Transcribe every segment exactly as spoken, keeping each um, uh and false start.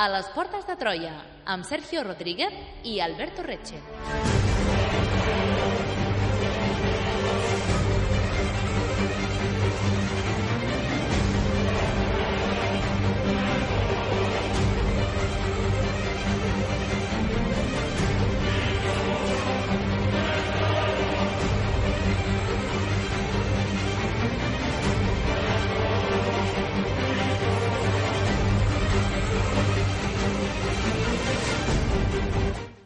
A les portes de Troia, amb Sergio Rodríguez i Alberto Reche.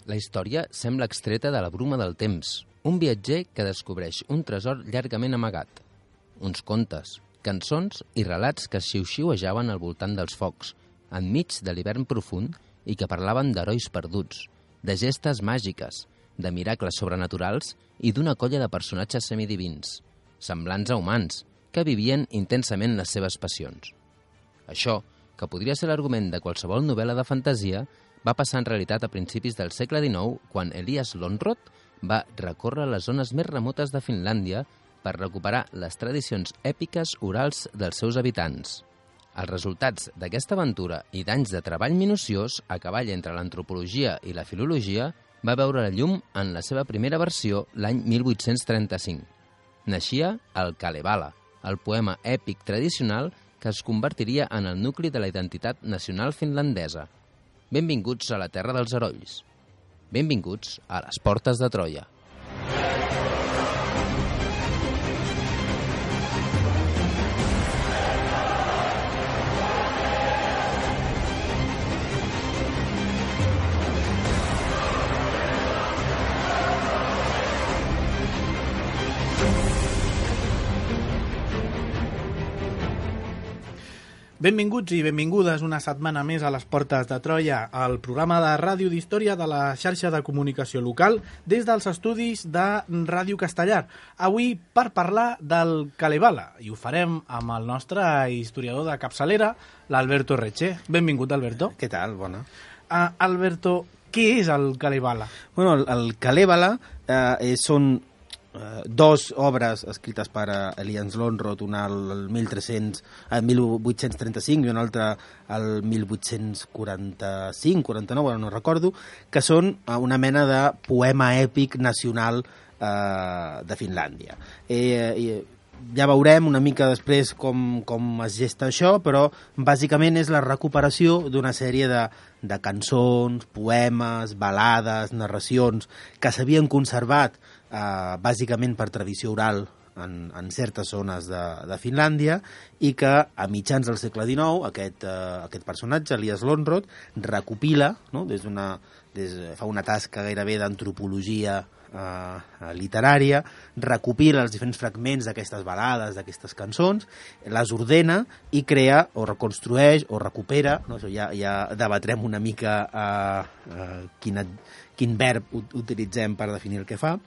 La història sembla extreta de la bruma del temps, un viatger que descobreix un tresor llargament amagat, uns contes, cançons i relats que xiu-xiuejaven al voltant dels focs, enmig de l'hivern profund i que parlaven d'herois perduts, de gestes màgiques, de miracles sobrenaturals i d'una colla de personatges semidivins, semblants a humans, que vivien intensament les seves passions. Això, que podria ser l'argument de qualsevol novel·la de fantasia, va passar en realitat a principis del segle dinou quan Elias Lönnrot va recórrer les zones més remotes de Finlàndia per recuperar les tradicions èpiques orals dels seus habitants. Els resultats d'aquesta aventura i d'anys de treball minuciós a cavall entre l'antropologia i la filologia va veure la llum en la seva primera versió l'any mil vuit-cents trenta-cinc. Naixia el Kalevala, el poema èpic tradicional que es convertiria en el nucli de la identitat nacional finlandesa. Benvinguts a la terra dels herois. Benvinguts a les portes de Troia. Benvinguts i benvingudes una setmana més a les portes de Troia, el programa de ràdio d'història de la xarxa de comunicació local des dels estudis de Ràdio Castellar. Avui per parlar del Kalevala, i ho farem amb el nostre historiador de capçalera, l'Alberto Reche. Benvingut, Alberto. Què tal? Bona. Uh, Alberto, què és el Kalevala? Bueno, el, el Kalevala eh, són Uh, dos obres escrites per uh, Elias Lönnrot, una al mil vuit-cents trenta-cinc i una altra al mil vuit-cents quaranta-cinc quaranta-nou, ara no recordo, que són uh, una mena de poema èpic nacional uh, de Finlàndia. Eh, eh, ja veurem una mica després com, com es gesta això, però bàsicament és la recuperació d'una sèrie de, de cançons, poemes, balades, narracions que s'havien conservat Uh, bàsicament per tradició oral en, en certes zones de, de Finlàndia i que a mitjans del segle dinou aquest, uh, aquest personatge, Elias Lönnrot, recopila, no? des una, des, fa una tasca gairebé d'antropologia uh, literària, recopila els diferents fragments d'aquestes balades, d'aquestes cançons, les ordena i crea o reconstrueix o recupera, no? Això ja, ja debatrem una mica uh, uh, quina, quin verb utilitzem per definir el que fa,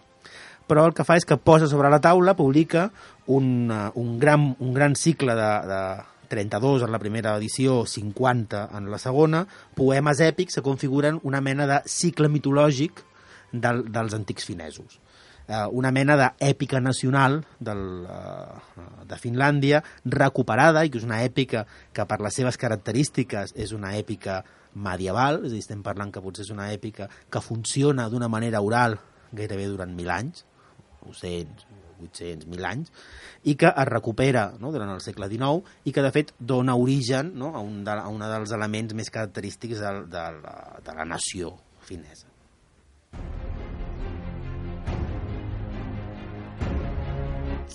però el que fa és que posa sobre la taula, publica un, un, gran, un gran cicle de, de trenta-dos en la primera edició, cinquanta en la segona, poemes èpics que configuren una mena de cicle mitològic del, dels antics finesos. Eh, una mena d'èpica nacional del, uh, de Finlàndia, recuperada, i que és una èpica que per les seves característiques és una èpica medieval, és a dir, estem parlant que potser és una èpica que funciona d'una manera oral gairebé durant mil anys, nou-cents, vuit-cents, mil anys, i que es recupera, no?, durant el segle dinou i que de fet dona origen, no?, a un, de, a un dels elements més característics de, de, la, de la nació finesa.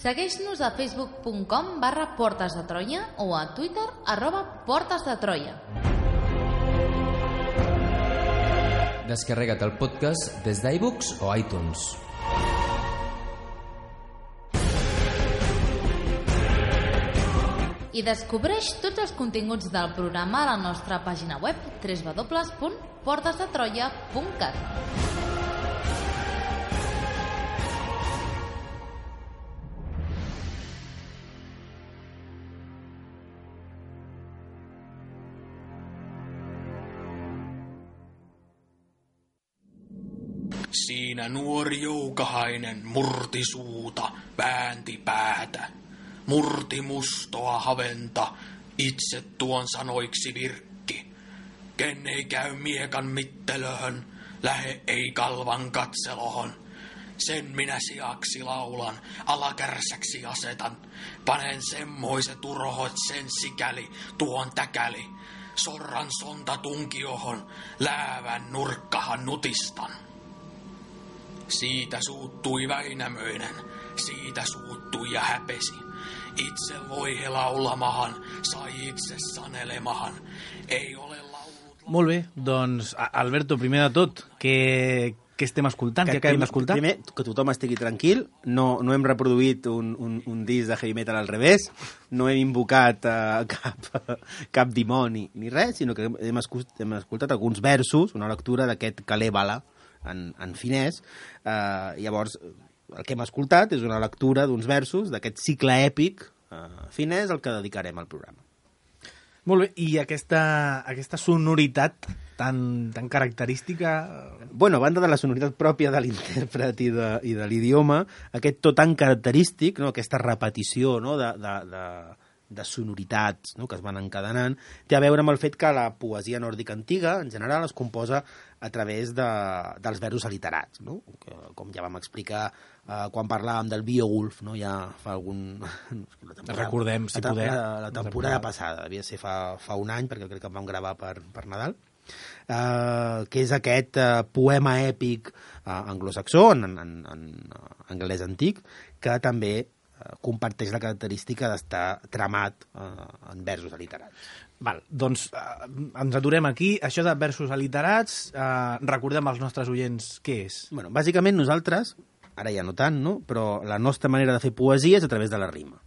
Segueix-nos a facebook punt com barra portes de Troia o a Twitter arroba portes de Troia. Descarrega't el podcast des d'iBooks o iTunes. I descobreix tots els continguts del programa a la nostra pàgina web w w w punt portes de troia punt cat. Siinä nuori joukahainen murti suuta, väänti päätä. Murti mustoa haventa, itse tuon sanoiksi virkki. ken ei käy miekan mittelöhön, lähe ei kalvan katselohon. Sen minä sijaksi laulan, alakärsäksi asetan. Panen semmoiset urhot sen sikäli, tuon täkäli. Sorran sonta tunkiohon, läävän nurkkahan nutistan. Siitä suuttui Väinämöinen, siitä suuttui ja häpesi. Itse loihe laulamahan, sai itse sanelemahan. Ei ole laulut... Molt bé, doncs, Alberto, primer de tot, què, què estem escoltant? Què acabem d'escoltar? Primer, que tothom estigui tranquil, no, no hem reproduït un, un, un disc de heavy metal al revés, no hem invocat uh, cap, cap dimoni ni res, sinó que hem escoltat, hem escoltat alguns versos, una lectura d'aquest Kalevala en, en finès. Uh, llavors, el que hem escoltat és una lectura d'uns versos d'aquest cicle èpic uh, finès al que dedicarem al programa. Molt bé, i aquesta, aquesta sonoritat tan, tan característica... Bueno, a banda de la sonoritat pròpia de l'intèrpret i de, i de l'idioma, aquest to tan característic, no? Aquesta repetició, no? de, de, de, de sonoritats, no? Que es van encadenant, té a veure amb el fet que la poesia nòrdica antiga, en general, es composa a través de, dels versos aliterats, no? Que, com ja vam explicar uh, quan parlàvem del Beowulf, no? Ja fa algun... Recordem, si la, poder. La, la temporada passada, devia ser fa, fa un any, perquè crec que em vam gravar per, per Nadal, uh, que és aquest uh, poema èpic uh, anglosaxó, en, en, en anglès antic, que també uh, comparteix la característica d'estar tramat uh, en versos aliterats. Val, doncs eh, ens aturem aquí. Això de versos aliterats, eh, recordem als nostres oients què és. Bueno, bàsicament nosaltres, ara ja no tant, no? Però la nostra manera de fer poesia és a través de la rima.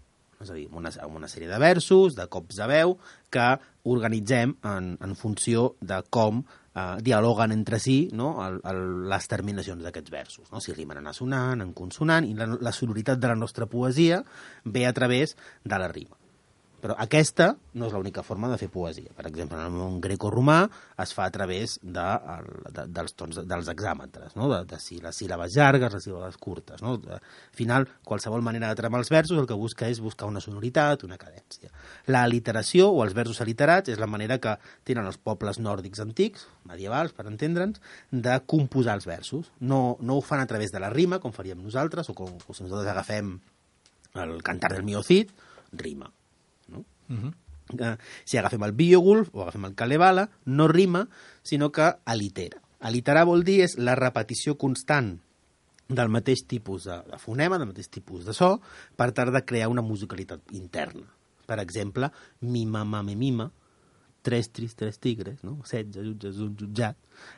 És a dir, una, una sèrie de versos, de cops de veu, que organitzem en, en funció de com eh, dialoguen entre si, no? el, el, les terminacions d'aquests versos. No? Si rimen en assonant, en consonant, i la, la sonoritat de la nostra poesia ve a través de la rima. Però aquesta no és l'única forma de fer poesia. Per exemple, en el món greco-romà es fa a través de, de, dels tons, dels hexàmetres, no? de, de si les síl·labes llargues, les síl·labes curtes. No? De, al final, qualsevol manera de tramar els versos el que busca és buscar una sonoritat, una cadència. La aliteració o els versos aliterats és la manera que tenen els pobles nòrdics antics, medievals, per entendre'ns, de composar els versos. No, no ho fan a través de la rima, com faríem nosaltres, o, com, o si nosaltres agafem el cantar del Mio Cid, rima. No? Uh-huh. Uh, si agafem el Beowulf o agafem el Kalevala, no rima, sinó que alitera. Aliterar vol dir és la repetició constant del mateix tipus de, de fonema, del mateix tipus de so, per tal de crear una musicalitat interna. Per exemple, mima, mame, mima, tres tris, tres tigres, no? setze jutges, un jutjat,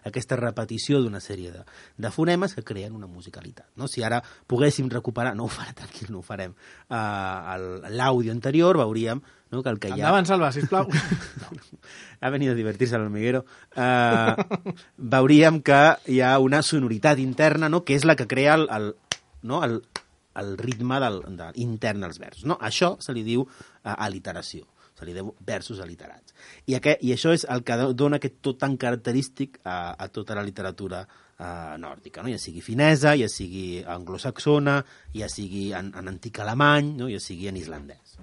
aquesta repetició d'una sèrie de, de fonemes que creen una musicalitat. No? Si ara poguéssim recuperar, no ho farem, tranquil, no ho farem, uh, l'àudio anterior, veuríem no, que el que hi ha... Endavant, Salva, sisplau. No, ha venit a divertir-se al hormiguero. Uh, veuríem que hi ha una sonoritat interna, no? Que és la que crea el, el, no? el, el ritme del, de, intern dels versos. No? Això se li diu uh, aliteració. Se li diu versos aliterats. I, aquest, I això és el que dona aquest tot tan característic a, a tota la literatura uh, nòrdica, no? Ja sigui finesa, ja sigui anglosaxona, ja sigui en, en antic alemany, no? Ja sigui en islandès.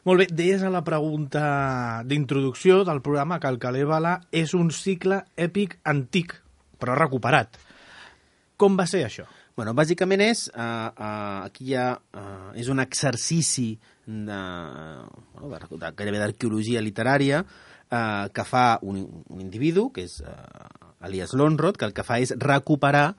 Molt bé, deies a la pregunta d'introducció del programa que el Kalevala és un cicle èpic antic, però recuperat. Com va ser això? Bueno, bàsicament és, uh, uh, aquí hi ha, uh, és un exercici de, bueno, de, de, gairebé d'arqueologia literària uh, que fa un, un individu, que és uh, Elias Lönnrot, que el que fa és recuperar,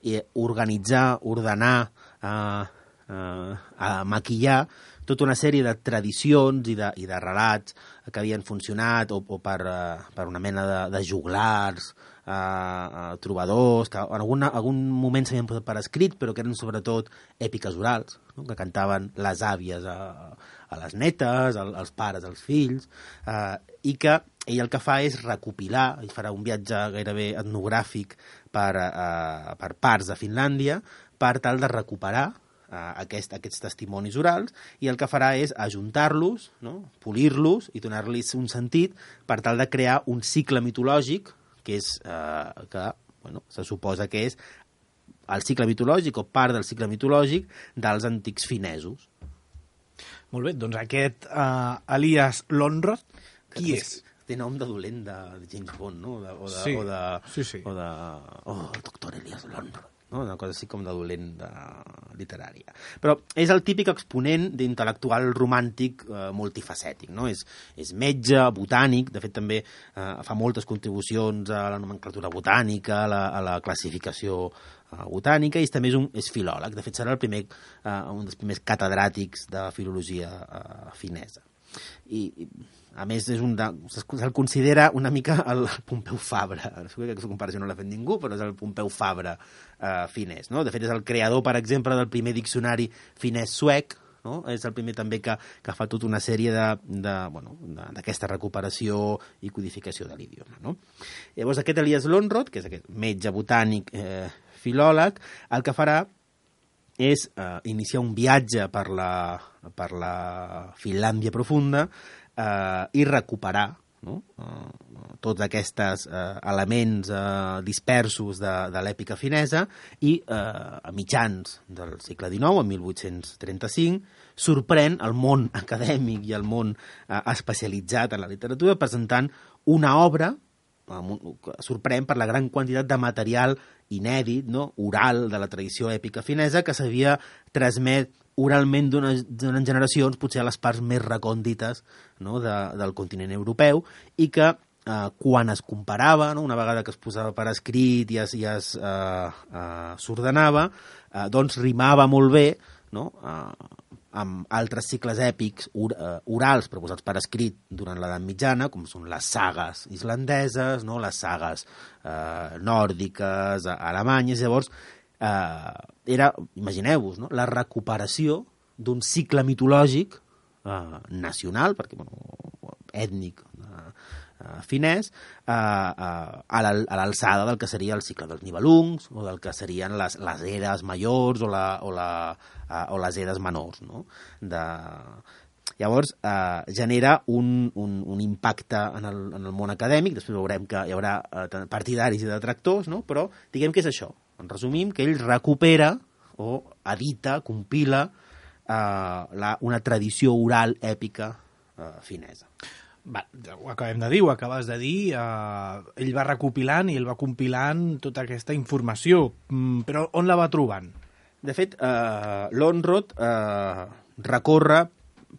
i organitzar, ordenar, uh, uh, uh, maquillar tota una sèrie de tradicions i de, i de relats que havien funcionat o, o per, uh, per una mena de, de juglars, uh, uh, trobadors, que en algun, algun moment s'havien posat per escrit, però que eren sobretot èpiques orals, no? Que cantaven les àvies a, a les netes, al, als pares, als fills, uh, i que ell el que fa és recopilar, i farà un viatge gairebé etnogràfic per, uh, per parts de Finlàndia, per tal de recuperar Uh, aquest, aquests testimonis orals, i el que farà és ajuntar-los, no? Polir-los i donar-los un sentit per tal de crear un cicle mitològic que és uh, que, bueno, se suposa que és el cicle mitològic o part del cicle mitològic dels antics finesos. Molt bé, doncs aquest uh, Elias Lönnrot, qui és? té nom de dolent de James Bond, no? De, o de, sí. o de, sí, sí. o de... Oh, el doctor Elias Lonrod. No? Una cosa així com de dolent de literària. Però és el típic exponent d'intel·lectual romàntic eh, multifacètic. No? És, és metge, botànic, de fet també eh, fa moltes contribucions a la nomenclatura botànica, a la, a la classificació eh, botànica, i també és, un, és filòleg. De fet serà el primer, eh, un dels primers catedràtics de filologia eh, finesa. I, a més, és un de, se'l considera una mica el Pompeu Fabra. Segur que aquesta comparació no l'ha fet ningú, però és el Pompeu Fabra eh, finès. No? De fet, és el creador, per exemple, del primer diccionari finès suec. No? És el primer també que, que fa tota una sèrie de, de, bueno, d'aquesta recuperació i codificació de l'idioma. No? Llavors, aquest Elias Lonrod, que és aquest metge botànic eh, filòleg, el que farà és eh, iniciar un viatge per la, per la Finlàndia profunda eh, i recuperar, no? eh, tots aquests eh, elements eh, dispersos de, de l'èpica finesa, i eh, a mitjans del segle dinou, en mil vuit-cents trenta-cinc, sorprèn el món acadèmic i el món eh, especialitzat en la literatura presentant una obra sorprèn per la gran quantitat de material inèdit, no? Oral, de la tradició èpica finesa, que s'havia transmet oralment durant generacions, potser a les parts més recòndites, no? de, del continent europeu, i que eh, quan es comparava, no? Una vegada que es posava per escrit i es, i es eh, eh, s'ordenava, eh, doncs rimava molt bé, no? eh, amb altres cicles èpics or, uh, orals proposats per escrit durant l'edat mitjana, com són les sagues islandeses, no? Les sagues uh, nòrdiques, alemanyes. Llavors, uh, era, imagineu-vos, no? La recuperació d'un cicle mitològic uh, nacional, perquè, bueno, ètnic, uh, uh, finès, uh, uh, a l'alçada del que seria el cicle dels Nibelungs, o del que serien les, les eres majors o, la, o, la, uh, o les eres menors. No? De... Llavors, uh, genera un, un, un impacte en el, en el món acadèmic, després veurem que hi haurà uh, partidaris i detractors, no? Però diguem que és això. En resumim, que ell recupera o edita, compila uh, la, una tradició oral èpica uh, finesa. Va, ho acabem de dir, ho acabes de dir, eh, ell va recopilant i ell va compilant tota aquesta informació, mm, però on la va trobant? De fet, eh, Lonrod eh, recorre,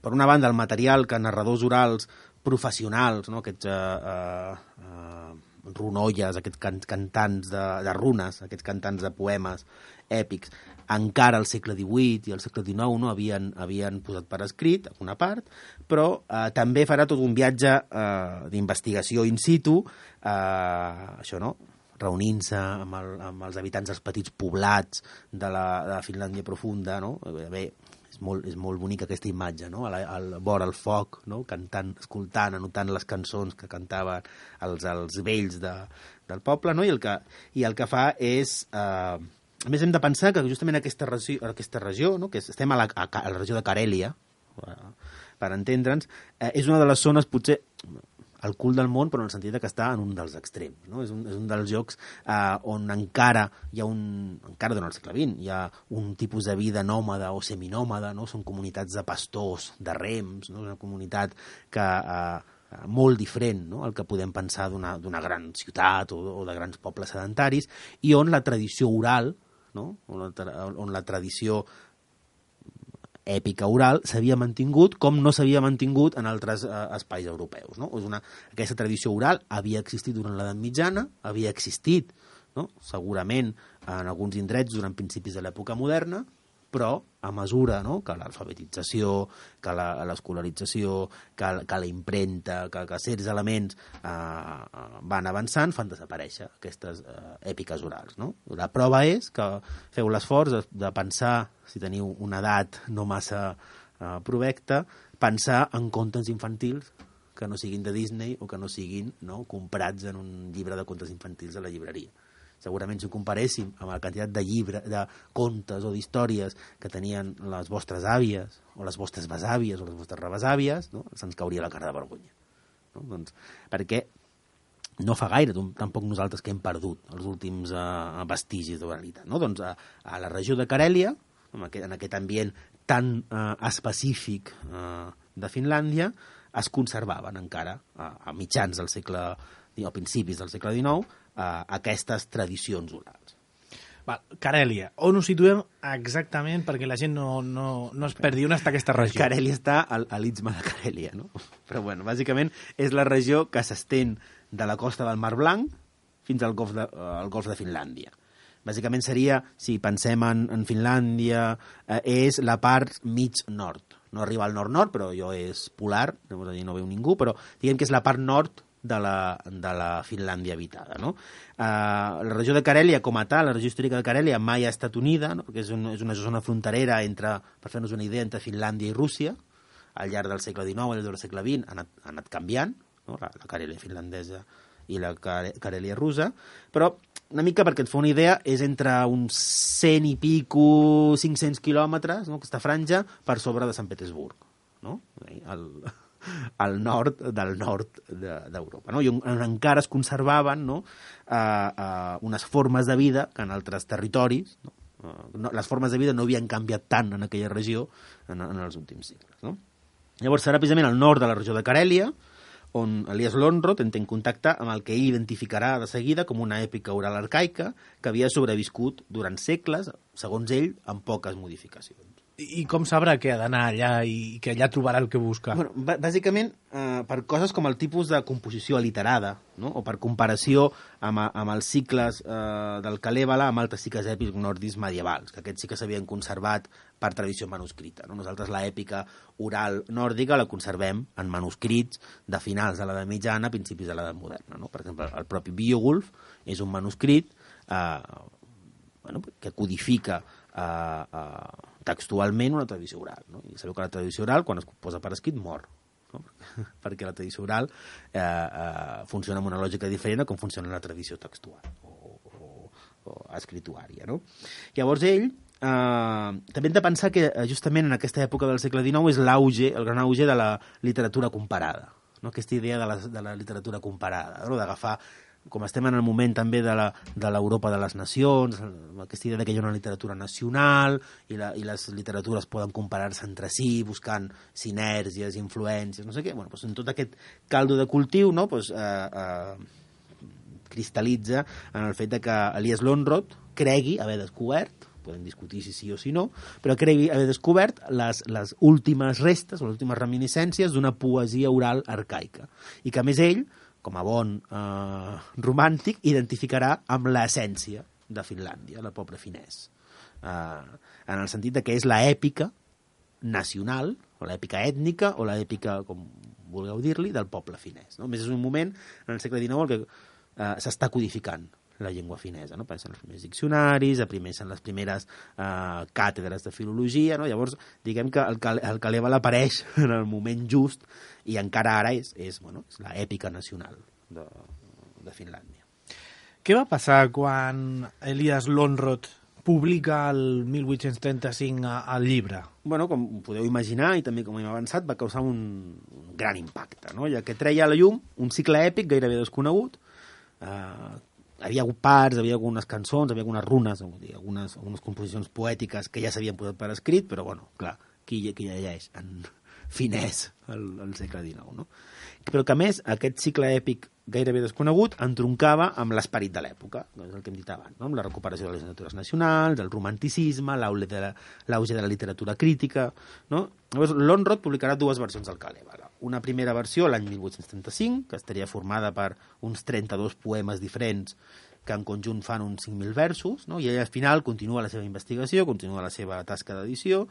per una banda, el material que narradors orals professionals, no? Aquests eh, eh, runolles, aquests can cantants de, de runes, aquests cantants de poemes èpics, encara al segle divuit i al segle dinou, no? havien, havien posat per escrit una part, però eh, també farà tot un viatge eh, d'investigació in situ, eh, això, no? reunint-se amb, el, amb els habitants dels petits poblats de la, de la Finlàndia profunda, no? Bé, és molt, és molt bonica aquesta imatge, no? Al, al vora el foc, no? Cantant, escoltant, anotant les cançons que cantaven els, els vells de, del poble, no? I el que, i el que fa és... Eh, a més, hem de pensar que justament aquesta regió, aquesta regió no? que estem a la, a, a la regió de Carèlia, per entendre'ns, eh, és una de les zones, potser, al cul del món, però en el sentit que està en un dels extrems. No? És, un, és un dels llocs eh, on encara hi ha un... encara durant el segle vint, hi ha un tipus de vida nòmada o seminòmada, no? Són comunitats de pastors, de rems, no? És una comunitat que... Eh, molt diferent, no? El que podem pensar d'una gran ciutat o, o de grans pobles sedentaris, i on la tradició oral, no? on, la, on la tradició èpica oral s'havia mantingut com no s'havia mantingut en altres eh, espais europeus. No? És una, aquesta tradició oral havia existit durant l'edat mitjana, havia existit, no? segurament en alguns indrets durant principis de l'època moderna, però a mesura, no? que l'alfabetització, que l'escolarització, que, que la impremta, que, que certs elements eh, van avançant, fan desaparèixer aquestes eh, èpiques orals. No? La prova és que feu l'esforç de, de pensar, si teniu una edat no massa eh, provecta, pensar en contes infantils que no siguin de Disney o que no siguin, no? comprats en un llibre de contes infantils a la llibreria. Segurament si ho comparéssim amb la quantitat de llibres, de contes o d'històries que tenien les vostres àvies, o les vostres besàvies, o les vostres rebesàvies, no? se'ns cauria la cara de vergonya. No? Doncs, perquè no fa gaire, tampoc nosaltres, que hem perdut els últims uh, vestigis d'oralitat. No? Doncs a, a la regió de Carèlia, en aquest, en aquest ambient tan uh, específic uh, de Finlàndia, es conservaven encara a, a mitjans del segle, o principis del segle dinou, a, aquestes tradicions orals. Val, Carèlia, on ho situem exactament perquè la gent no, no, no es perdi on està aquesta regió? Carèlia està al, a l'Istme de Carèlia, no? Però bueno, bàsicament és la regió que s'estén de la costa del Mar Blanc fins al golf de, uh, al golf de Finlàndia. Bàsicament seria, si pensem en, en Finlàndia, eh, és la part mig nord. No arriba al nord-nord, però allò és polar, llavors allà no veu ningú, però diguem que és la part nord de la, de la Finlàndia habitada. No? Eh, la regió de Carèlia, com a tal, la regió històrica de Carèlia mai ha estat unida, no? Perquè és, un, és una zona fronterera entre, per fer-nos una idea, entre Finlàndia i Rússia. Al llarg del segle dinou, al llarg del segle vint, ha anat, ha anat canviant, no? la, la Carèlia finlandesa i la Carèlia russa, però una mica perquè et fa una idea, és entre uns cent i pico, cinc-cents quilòmetres, no? Aquesta franja, per sobre de Sant Petersburg, no? Al, al nord del nord d'Europa. No? I on, on encara es conservaven, no? uh, uh, unes formes de vida que en altres territoris, no? Uh, no, les formes de vida no havien canviat tant en aquella regió en, en els últims segles. No? Llavors serà precisament al nord de la regió de Carèlia, on Elias Lönnrot entén contacte amb el que ell identificarà de seguida com una èpica oral arcaica que havia sobreviscut durant segles, segons ell, amb poques modificacions. I com sabrà que ha d'anar allà i que allà trobarà el que busca? Bueno, bàsicament, eh, per coses com el tipus de composició aliterada, no? O per comparació amb, amb els cicles eh, del Kalèvala amb altres cicles èpics nòrdics medievals, que aquests sí que s'havien conservat per tradició manuscrita. No? Nosaltres l'èpica oral nòrdica la conservem en manuscrits de finals de l'edat mitjana, principis de l'edat moderna. No? Per exemple, el propi Beowulf és un manuscrit eh, bueno, que codifica eh, eh, textualment una tradició oral. No? I sabeu que la tradició oral, quan es posa per escrit, mor. No? Perquè la tradició oral eh, eh, funciona amb una lògica diferent com funciona la tradició textual o, o, o escrituària. No? Llavors ell eh, també hem de pensar que justament en aquesta època del segle dinou és l'auge, el gran auge de la literatura comparada. No? Aquesta idea de la, de la literatura comparada, no? D'agafar, com estem en el moment també de l'Europa de, de les nacions, aquesta idea que hi ha una literatura nacional i, la, i les literatures poden comparar-se entre si, buscant sinèrgies, influències, no sé què. Bueno, doncs en tot aquest caldo de cultiu, no? Doncs, eh, eh, cristal·litza en el fet de que Elias Lönnrot cregui haver descobert, podem discutir si sí o si no, però cregui haver descobert les, les últimes restes, les últimes reminiscències d'una poesia oral arcaica. I que, a més, ell, com a bon eh, romàntic, identificarà amb l'essència de Finlàndia, el poble finès. Eh, en el sentit de que és l'èpica nacional, o l'èpica ètnica, o l'èpica, com vulgueu dir-li, del poble finès. No? A més, és un moment, en el segle dinou, en què eh, s'està codificant la llengua finesa, no? Pensen els primers diccionaris, en les primeres eh, càtedres de filologia, no? Llavors, diguem que el, el Kalèvala apareix en el moment just i encara ara és, és, bueno, és l'èpica nacional de, de Finlàndia. Què va passar quan Elias Lönnrot publica el mil vuit-cents trenta-cinc el llibre? Bueno, com podeu imaginar, i també com hem avançat, va causar un, un gran impacte, no? Ja que treia a la llum un cicle èpic gairebé desconegut, eh, havia hagut parts, havia algunes cançons, havia algunes runes, algunes, algunes composicions poètiques que ja s'havien posat per escrit, però, bueno, clar, qui, qui llegeix en finès al, al segle dinou, no? Però que, a més, aquest cicle èpic gairebé desconegut entroncava amb l'esperit de l'època, no és el que hem dit abans, no? Amb la recuperació de les literatures nacionals, el romanticisme, l'auge de, la, de la literatura crítica, no? Llavors, Lönnrot publicarà dues versions del Kalèvala. Una primera versió l'any mil vuit-cents trenta-cinc, que estaria formada per uns trenta-dos poemes diferents que en conjunt fan uns cinc mil versos, no? I ell al final continua la seva investigació, continua la seva tasca d'edició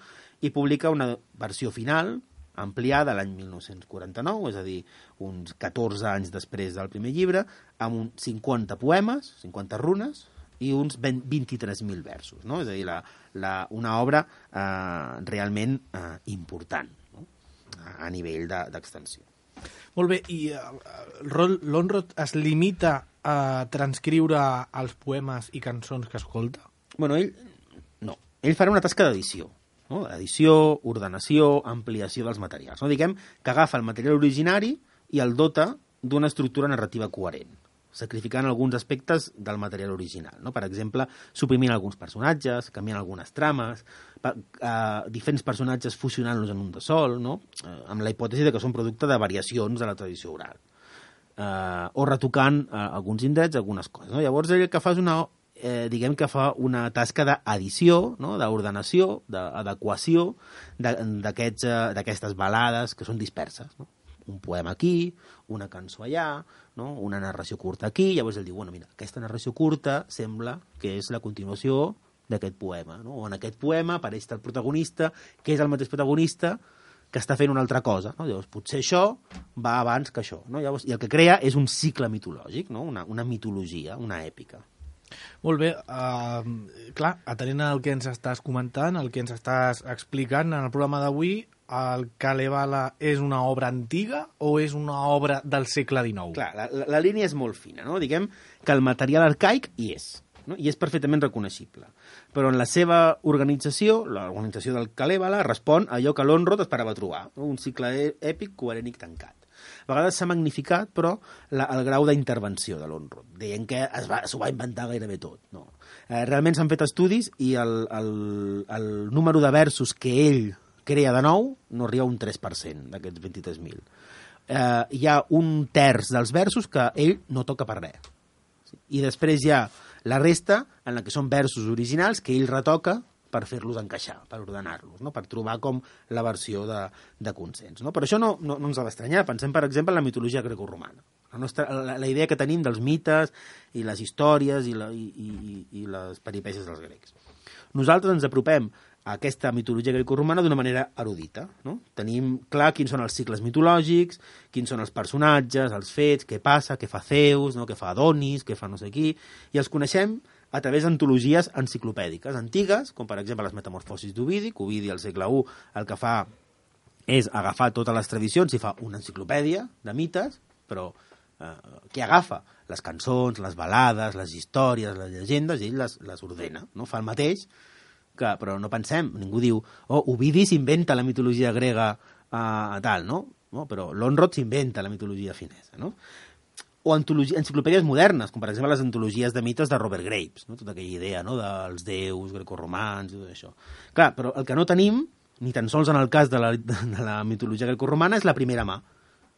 i publica una versió final ampliada l'any mil nou-cents quaranta-nou, és a dir, uns catorze anys després del primer llibre, amb uns cinquanta poemes, cinquanta runes, i uns vint-i-tres mil versos, no? És a dir, la, la, una obra eh, realment eh, important, no? A nivell d'extensió. De, Molt bé, i uh, Lönnrot es limita a transcriure els poemes i cançons que escolta? Bueno, ell no. Ell farà una tasca d'edició. No? Edició, ordenació, ampliació dels materials. No? Diguem que agafa el material originari i el dota d'una estructura narrativa coherent, sacrificant alguns aspectes del material original. No? Per exemple, suprimint alguns personatges, canviant algunes trames, pa, eh, diferents personatges fusionant-los en un de sol, no? eh, amb la hipòtesi de que són producte de variacions de la tradició oral. Eh, o retocant eh, alguns indrets, algunes coses. No? Llavors, ell el que fa és una, eh, diguem que fa una tasca d'edició, no? d'ordenació, d'adequació d'aquestes eh, balades que són disperses, no? Un poema aquí, una cançó allà, no? Una narració curta aquí, llavors ell diu, bueno, mira, aquesta narració curta sembla que és la continuació d'aquest poema, no? O en aquest poema apareix el protagonista, que és el mateix protagonista que està fent una altra cosa, no? Llavors, potser això va abans que això, no? Llavors, i el que crea és un cicle mitològic, no? Una, una mitologia, una èpica. Molt bé, uh, clar, atenent al que ens estàs comentant, el que ens estàs explicant en el programa d'avui, el Kalevala és una obra antiga o és una obra del segle dinou? Clar, la, la, la línia és molt fina, no? Diguem que el material arcaic hi és, no? I és perfectament reconeixible. Però en la seva organització, l'organització del Kalevala, respon a allò que l'Onrod esperava trobar, no? Un cicle èpic coherent i tancat. A vegades s'ha magnificat, però, la, el grau d'intervenció de l'Onrod. Deien que es va, s'ho va inventar gairebé tot. No. Eh, realment s'han fet estudis i el, el, el número de versos que ell crea de nou no arriba a un tres per cent d'aquests vint-i-tres mil. Eh, hi ha un terç dels versos que ell no toca per res. I després hi ha la resta en la que són versos originals que ell retoca per fer-los encaixar, per ordenar-los, no? Per trobar com la versió de, de consens. No? Però això no, no, no ens ha d'estranyar. Pensem, per exemple, en la mitologia grecorromana. La, nostra, la, la idea que tenim dels mites i les històries i, la, i, i, i les peripècies dels grecs. Nosaltres ens apropem a aquesta mitologia grecorromana d'una manera erudita. No? Tenim clar quins són els cicles mitològics, quins són els personatges, els fets, què passa, què fa Zeus, no? Què fa Adonis, què fa no sé qui, i els coneixem a través d'antologies enciclopèdiques antigues, com per exemple les Metamorfosis d'Ovidi, que Ovidi al segle u el que fa és agafar totes les tradicions i fa una enciclopèdia de mites, però eh, què agafa? Les cançons, les balades, les històries, les llegendes, i ell les, les ordena, no? Fa el mateix, que, però no pensem, ningú diu, oh, Ovidi s'inventa la mitologia grega eh, tal, no? no? Però l'Onrod s'inventa la mitologia finesa, no? O enciclopèdies modernes, com per exemple les antologies de mites de Robert Graves, no? Tota aquella idea, no? Dels déus grecorromans i tot això. Clar, però el que no tenim, ni tan sols en el cas de la, de la mitologia grecorromana, és la primera mà.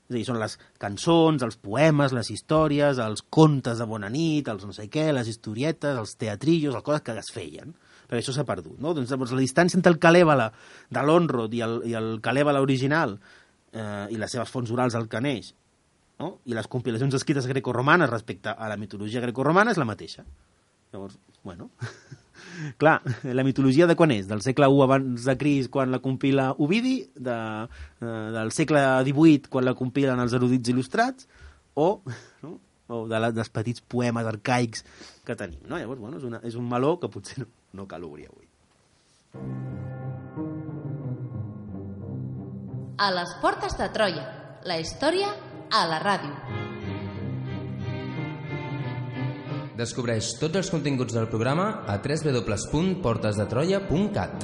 És a dir, són les cançons, els poemes, les històries, els contes de bona nit, els no sé què, les historietes, els teatrillos, les coses que es feien, perquè això s'ha perdut. No? Doncs, doncs la distància entre el Kalevala de l'Onrod i el, i el Kalevala original eh, i les seves fonts orals al que neix, no? I les compilacions escrites grecorromanes respecte a la mitologia grecorromana és la mateixa. Llavors, bueno... Clar, la mitologia de quan és? Del segle u abans de Crist, quan la compila Ovidi, de, eh, del segle divuit, quan la compilen els erudits il·lustrats, o, no? o de la, dels petits poemes arcaics que tenim. No? Llavors, bueno, és, una, és un meló que potser no, no cal obrir avui. A les portes de Troia, la història a la ràdio. Descobreix tots els continguts del programa a w w w punt portes de troia punt cat.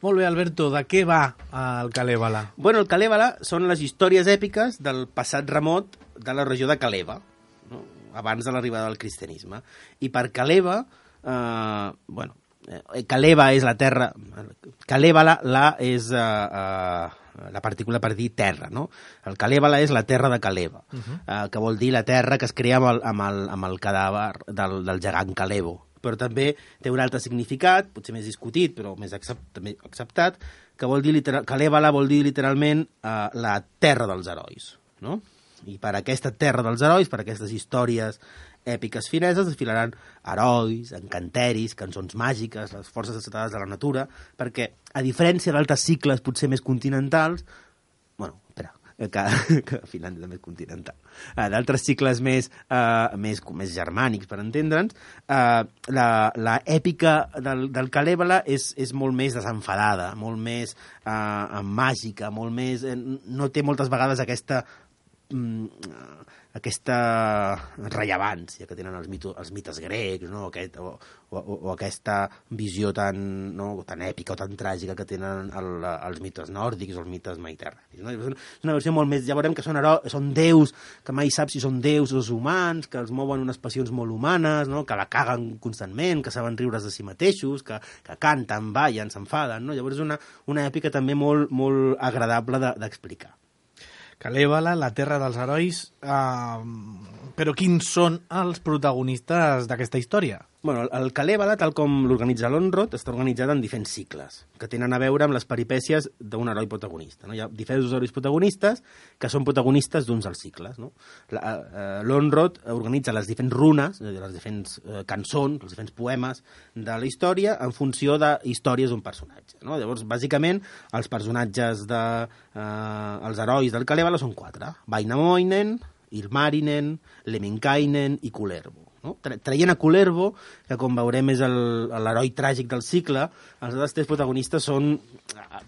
Molt bé, Alberto, de què va el Kalevala? Bueno, el Kalevala són les històries èpiques del passat remot de la regió de Kaleva, no? Abans de l'arribada del cristianisme. I per Kaleva, eh, bueno, eh, Kaleva és la terra... Kalevala, la és eh, eh, la partícula per dir terra, no? El Kalevala és la terra de Kaleva, uh-huh. eh, que vol dir la terra que es crea amb el, amb el, amb el cadàver del, del gegant Kalevo. Però també té un altre significat, potser més discutit, però més accept, també acceptat, que vol dir literal, Kalevala vol dir literalment eh, la terra dels herois, no? I per aquesta terra dels herois, per aquestes històries èpiques fineses desfilaran herois, encanteris, cançons màgiques, les forces desatades de la natura, perquè, a diferència d'altres cicles potser més continentals, bueno, espera, que, que Finlàndia també és continental, uh, d'altres cicles més, uh, més, més germànics, per entendre'ns, uh, la, la èpica del, del Kalèvala és, és molt més desenfadada, molt més uh, màgica, molt més... Eh, no té moltes vegades aquesta... Mm, aquesta rellevància que tenen els, mito, els mites grecs, no? Aquest, o, o, o aquesta visió tan, no? tan èpica o tan tràgica que tenen el, els mites nòrdics o els mites mediterranis. No? És una versió molt més... Ja veurem que són, hero, són déus, que mai saps si són déus o humans, que els mouen unes passions molt humanes, no? Que la caguen constantment, que saben riure's de si mateixos, que, que canten, ballen, s'enfaden. No? Llavors és una, una èpica també molt, molt agradable d'explicar. De, Kalèvala, la terra dels herois, uh, però quins són els protagonistes d'aquesta història? Bueno, el Kalèvala, tal com l'organitza l'Onrod, està organitzat en diferents cicles, que tenen a veure amb les peripècies d'un heroi protagonista. No? Hi ha diferents herois protagonistes que són protagonistes d'uns dels cicles. No? L'Onrod organitza les diferents runes, les diferents eh, cançons, els diferents poemes de la història en funció de històries d'un personatge. No? Llavors, bàsicament, els personatges de, eh, els herois del Kalèvala són quatre. Wainamoinen, Ilmarinen, Lemminkainen i Kullervo. No? Traient a Kullervo, que com veurem és l'heroi tràgic del cicle, els altres tres protagonistes són,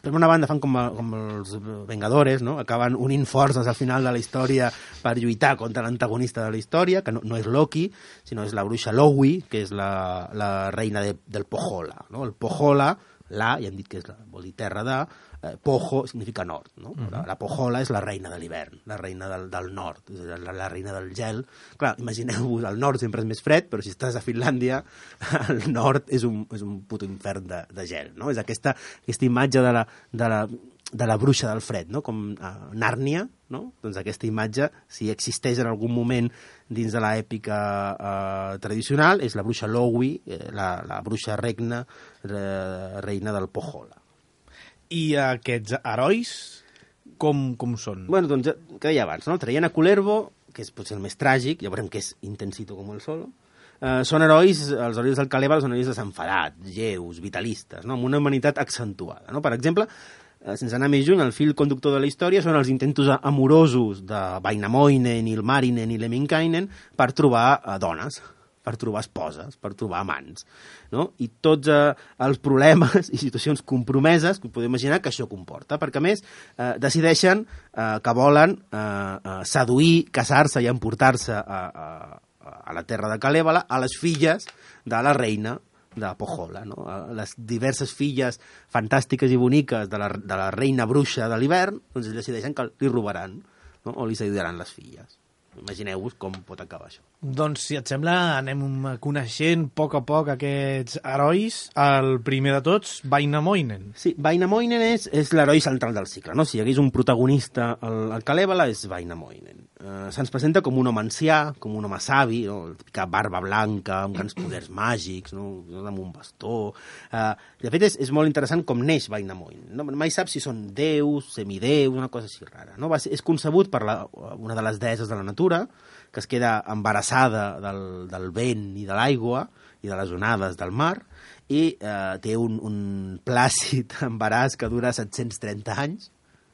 per una banda fan com, a, com els Vengadores, no? Acaben unint forces al final de la història per lluitar contra l'antagonista de la història, que no, no és Loki, sinó és la bruixa Lowi, que és la, la reina de, del Pohjola. No? El Pohjola, la, ja hem dit que és la, vol dir terra de, eh, Pojo significa nord, no? Uh-huh. La, la Pohjola és la reina de l'hivern, la reina del, del nord, la, la reina del gel. Clar, imagineu-vos, el nord sempre és més fred, però si estàs a Finlàndia, el nord és un, és un puto infern de, de gel, no? És aquesta, aquesta imatge de la, de la, de la bruixa del fred, no? Com a Nàrnia, no? Doncs aquesta imatge, si existeix en algun moment dins de l'èpica eh, tradicional, és la bruixa Lowi, eh, la, la bruixa regna, eh, reina del Pohjola. I aquests herois, com, com són? Bueno, doncs, que deia abans, no? Traient a Kullervo, que és potser el més tràgic, ja veurem que és intensito com el solo, eh, són herois, els herois del Kalèvala són herois desenfadats, lleus, vitalistes, no? Amb una humanitat accentuada. No? Per exemple, eh, sense anar més lluny, el fil conductor de la història són els intentos amorosos de Wainamoinen, Ilmarinen i Lemminkainen per trobar eh, dones, per trobar esposes, per trobar amants, no? I tots eh, els problemes i situacions compromeses que podem imaginar que això comporta, perquè a més eh, decideixen eh, que volen eh, eh, seduir, casar-se i emportar-se a, a, a la terra de Kalèvala a les filles de la reina de Pohjola, no? Les diverses filles fantàstiques i boniques de la, de la reina bruixa de l'hivern, doncs ells decideixen que li robaran, no? O li seduiran les filles. Imagineu-vos com pot acabar això. Doncs, si et sembla, anem coneixent a poc a poc aquests herois. El primer de tots, Wainamoinen. Sí, Wainamoinen és, és l'heroi central del cicle, no? Si hi hagués un protagonista al, al Kalèvala és Wainamoinen. Uh, se'ns presenta com un home ancià, com un home savi, no? La típica barba blanca, amb grans poders màgics, no? Amb un bastó. Uh, de fet, és, és molt interessant com neix Wainamoinen. No? Mai sap si són déus, semideus, una cosa així rara. No? Va ser, és concebut per la, una de les deesses de la natura, que es queda embarassada del, del vent i de l'aigua i de les onades del mar, i eh, té un, un plàcid embaràs que dura set-cents trenta anys,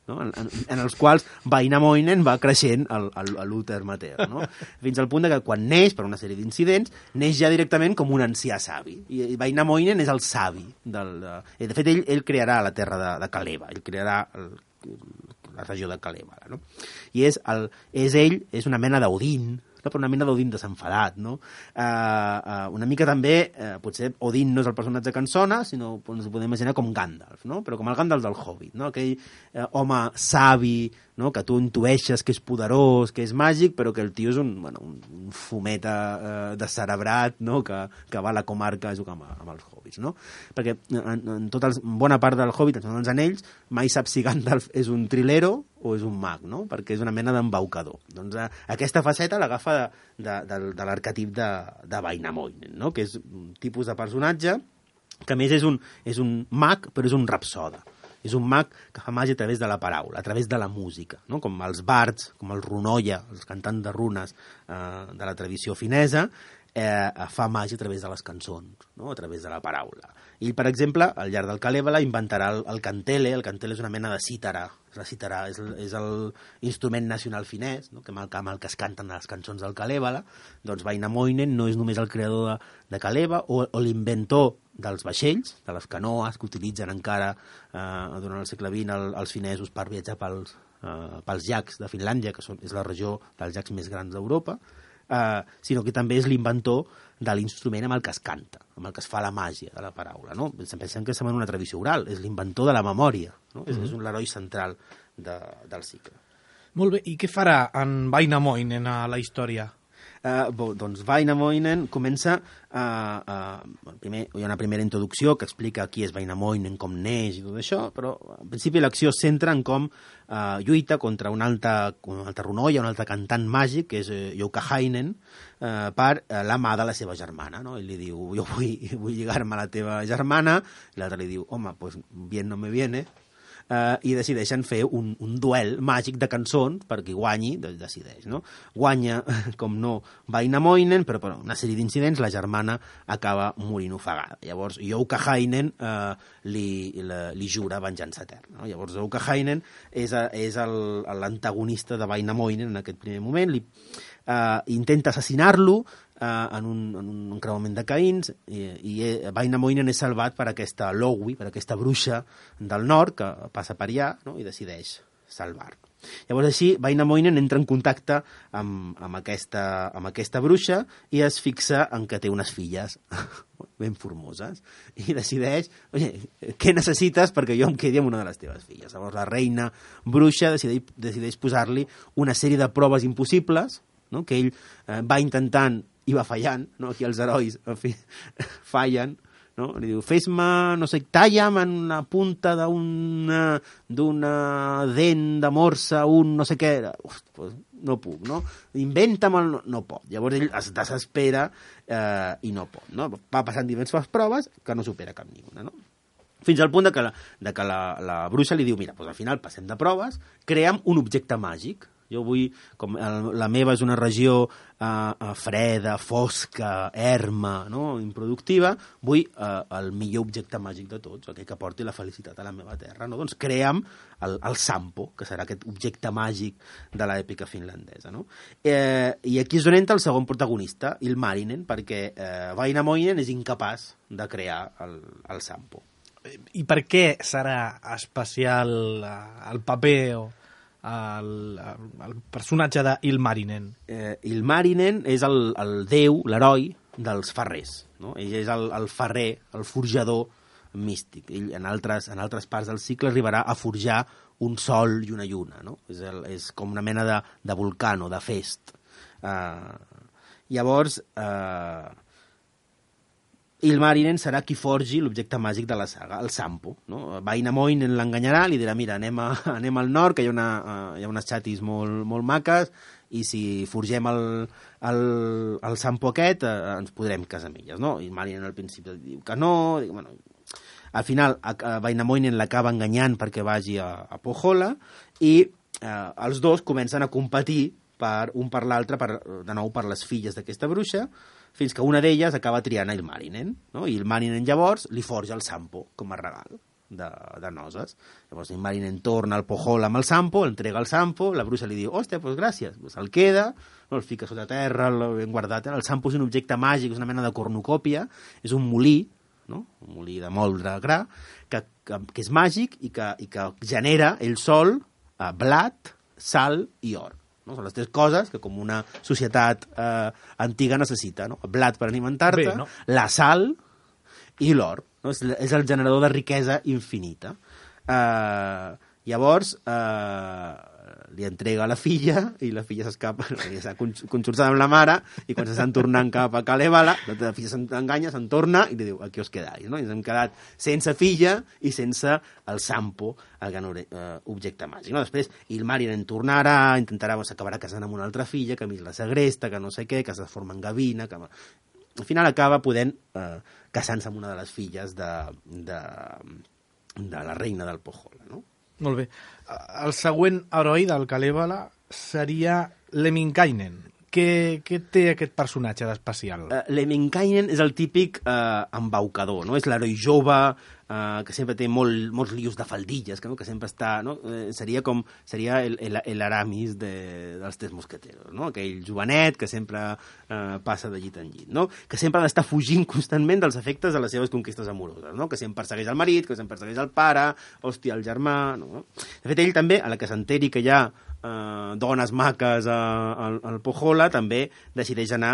no? en, en, en els quals Wainamoinen va creixent a l'úter matern, no? Fins al punt de que quan neix, per una sèrie d'incidents, neix ja directament com un ancià savi. I, i Wainamoinen és el savi. Del, de, de fet, ell, ell crearà la terra de, de Kaleva, ell crearà el, la regió de Kalèvala, no? I és, el, és ell, és una mena d'Odin, no? Però una mena d'Odin desenfadat, no? Uh, uh, una mica també, uh, potser Odin no és el personatge que en sona, sinó ens ho podem imaginar com Gandalf, no? Però com el Gandalf del Hobbit, no? Aquell uh, home savi, no? Que tu intueixes que és poderós, que és màgic, però que el tio és un, bueno, un, un fumeta eh, descerebrat, no? que, que va a la comarca a jugar amb, amb els hobbits, no? Perquè en, en, tota el, en bona part del Hobbit, en els anells, mai sap si Gandalf és un trilero o és un mag, no? Perquè és una mena d'embaucador. Doncs eh, aquesta faceta l'agafa de, de, de, de l'arquetip de, de Wainamoinen, no? Que és un tipus de personatge que a més és un, és un mag, però és un rapsoda. És un mag que fa màgia a través de la paraula, a través de la música, no? Com els bards, com el runoia, els cantants de runes eh, de la tradició finesa, eh, fa màgia a través de les cançons, no? A través de la paraula. I, per exemple, al llarg del Kalevala inventarà el, el kantele. El kantele és una mena de cítara. La cítara és, és l'instrument nacional finès, no? que amb, el, amb el que es canten les cançons del Kalevala. Doncs Vainamoinen no és només el creador de, de Kaleva o, o l'inventor dels vaixells, de les canoes que utilitzen encara eh, durant el segle vint el, els finesos per viatjar pels, eh, pels llacs de Finlàndia, que són, és la regió dels llacs més grans d'Europa, eh, sinó que també és l'inventor de l'instrument amb el que es canta, amb el que es fa la màgia de la paraula. No? Pensem que estem en una tradició oral, és l'inventor de la memòria, no? Mm-hmm. és, és un l'heroi central de, del cicle. Molt bé, i què farà en Vainamoinen a la història? Uh, bo, doncs Vainamoinen comença uh, uh, primer, hi ha una primera introducció que explica qui és Vainamoinen, com neix i tot això, però en principi l'acció es centra en com uh, lluita contra un altre, un altre runoia, un altre cantant màgic, que és uh, Youkahainen, uh, per uh, la mà de la seva germana, no? I li diu, jo vull, vull lligar-me a la teva germana, i l'altre li diu, home, pues bien no me viene, Uh, i decideixen fer un, un duel màgic de cançons perquè guanyi, doncs decideix, no? Guanya, com no, Vainamoinen, però per una sèrie d'incidents la germana acaba morint ofegada. Llavors Youkahainen uh, li, li, li jura venjança eterna, no? Llavors Youkahainen és, a, és l'antagonista de Vainamoinen en aquest primer moment, li uh, intenta assassinar-lo Uh, en, un, en un creuament de caïns i, i Vainamoinen és salvat per aquesta Lowi, per aquesta bruixa del nord que passa per allà, no? I decideix salvar-lo. Llavors així Vainamoinen entra en contacte amb, amb, aquesta, amb aquesta bruixa i es fixa en que té unes filles ben formoses i decideix, oye, què necessites perquè jo em quedi amb una de les teves filles? Llavors la reina bruixa decideix, decideix posar-li una sèrie de proves impossibles, no? Que ell eh, va intentant i va fallant, no? Aquí els herois en fi, fallen, no? Li diu, fes-me, no sé, talla'm en una punta d'una d'una dent de morsa, un no sé què, uf, pues, no puc, no? Inventa'm el... No, no pot. Llavors ell es desespera eh, i no pot, no? Va passant diverses proves que no supera cap ni una, no? Fins al punt de que la, de que la, la bruixa li diu, mira, doncs al final passem de proves, crea'm un objecte màgic. Jo vull, com el, la meva és una regió uh, freda, fosca, erma, no? Improductiva, vull uh, el millor objecte màgic de tots, aquell que porti la felicitat a la meva terra, no? Doncs crea'm el, el Sampo, que serà aquest objecte màgic de l'èpica finlandesa, no? Eh, I aquí és on entra el segon protagonista, Ilmarinen, perquè eh, Vainamoinen és incapaç de crear el, el Sampo. I per què serà especial el paper o el, el personatge d'Ilmarinen? Eh, Ilmarinen és el, el déu, l'heroi dels ferrers, no? Ell és el, el ferrer, el forjador místic. Ell en altres, en altres parts del cicle arribarà a forjar un sol i una lluna, no? És, el, és com una mena de, de volcano, de fest. Uh, llavors... Uh, Ilmarinen serà qui forgi l'objecte màgic de la saga, el Sampo, no? Vainamoinen l'enganyarà, li dirà, mira, anem, a, anem al nord, que hi ha, una, uh, hi ha unes xatis molt, molt maques, i si forgem el, el, el Sampo aquest, uh, ens podrem casar amb elles, no? Ilmarinen al principi diu que no, diu, bueno... Al final, uh, Vainamoinen l'acaba enganyant perquè vagi a, a Pohjola, i uh, els dos comencen a competir per un per l'altre, per, de nou per les filles d'aquesta bruixa, fins que una d'elles acaba triant a Ilmarinen, no? I Ilmarinen llavors li forja el Sampo com a regal de, de noces. Llavors Ilmarinen torna al Pohjola amb el Sampo, entrega el Sampo, la bruixa li diu, hòstia, doncs gràcies, pues el queda, no, el fica sota terra, el ben guardat. El Sampo és un objecte màgic, és una mena de cornucòpia, és un molí, no? Un molí de moldre gra, que, que, que és màgic i que, i que genera el sol, eh, blat, sal i or. No? Són les tres coses que com una societat eh, antiga necessita, no? El blat per alimentar-te, no? La sal i l'or, no? És, és el generador de riquesa infinita. Eh, llavors eh, li entrega la filla i la filla s'escapa, s'ha conxorçat amb la mare, i quan s'estan tornant cap a Kalevala, la filla s'enganya, se'n torna i li diu, aquí us quedais, no? I ens hem quedat sense filla i sense el Sampo, el gran uh, objecte màgic, no? Després Ilmarinen tornarà, intentarà, s'acabarà casant amb una altra filla, que a mi la segresta, que no sé què, que es forma en gavina, que... Al final acaba podent uh, casant-se amb una de les filles de... de de la reina del Pohjola, no? Molt bé. El següent heroi del Kalevala seria Lemminkainen. Què, què té aquest personatge d'especial? Uh, Lemminkainen és el típic uh, embaucador, no? És l'heroi jove, uh, que sempre té molt, molts lius de faldilles, que, no? que sempre està... No? Uh, seria com seria el, el, el Aramis de, dels Tres Mosqueteros, no? Aquell jovenet que sempre uh, passa de llit en llit, no? Que sempre ha d'estar fugint constantment dels efectes de les seves conquistes amoroses, no? Que sempre persegueix el marit, que sempre persegueix el pare, hòstia, el germà... No? De fet, ell també, a la que s'enteri que hi ha Uh, dones maques uh, al, al Pohjola, també decideix anar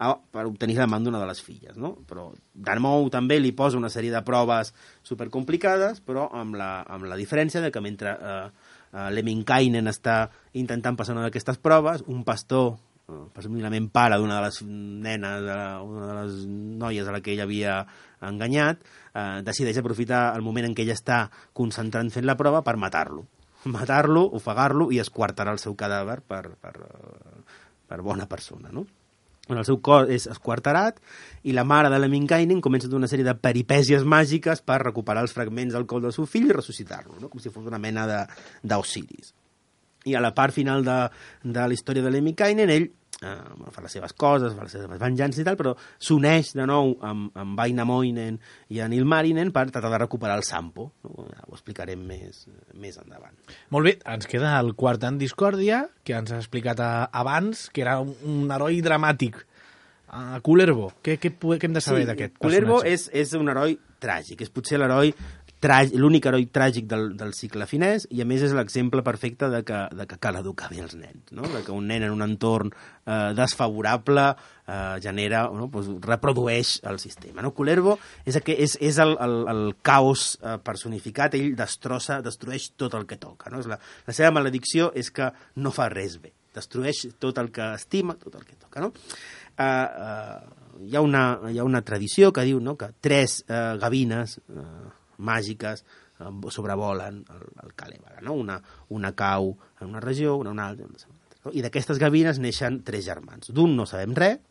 a, per obtenir la mà d'una de les filles, no? Però de nou també li posa una sèrie de proves supercomplicades, però amb la, amb la diferència de que mentre uh, uh, Lemminkainen està intentant passar una d'aquestes proves, un pastor, uh, presumiblement pare d'una de les nenes, una de les noies a la que ell havia enganyat, uh, decideix aprofitar el moment en què ella està concentrant fent la prova per matar-lo. matar-lo, ofegar-lo i esquartar el seu cadàver per, per, per bona persona, no? El seu cos és esquarterat i la mare de Lemminkainen comença una sèrie de peripècies màgiques per recuperar els fragments del cos del seu fill i ressuscitar-lo, no? Com si fos una mena d'Osiris. I a la part final de, de la història de Lemminkainen, ell eh, fa les seves coses, fa les seves venjances i tal, però s'uneix de nou amb, amb Vainamoinen i en Ilmarinen per tratar de recuperar el Sampo. No? Ja ho explicarem més, més endavant. Molt bé, ens queda el quart en discòrdia, que ens ha explicat a, abans, que era un, un heroi dramàtic. Uh, Kullervo, què, què, què hem de saber sí, d'aquest personatge? Kullervo és, és un heroi tràgic, és potser l'heroi l'únic heroi tràgic del, del cicle finès i a més és l'exemple perfecte de que, de que cal educar bé els nens, no? De que un nen en un entorn eh, desfavorable eh, genera, no? Pues, reprodueix el sistema, no? Kullervo és, és, és el, el, el caos eh, personificat, ell destrossa, destrueix tot el que toca, no? És la, la seva maledicció és que no fa res bé, destrueix tot el que estima, tot el que toca, no? Eh, eh, hi, ha una, hi ha una tradició que diu, no? Que tres eh, gavines eh, màgiques eh, sobrevolen el, el Kalevala, no? Una, una cau en una regió, una en una altra, una altra, no? I d'aquestes gavines neixen tres germans. D'un no sabem res,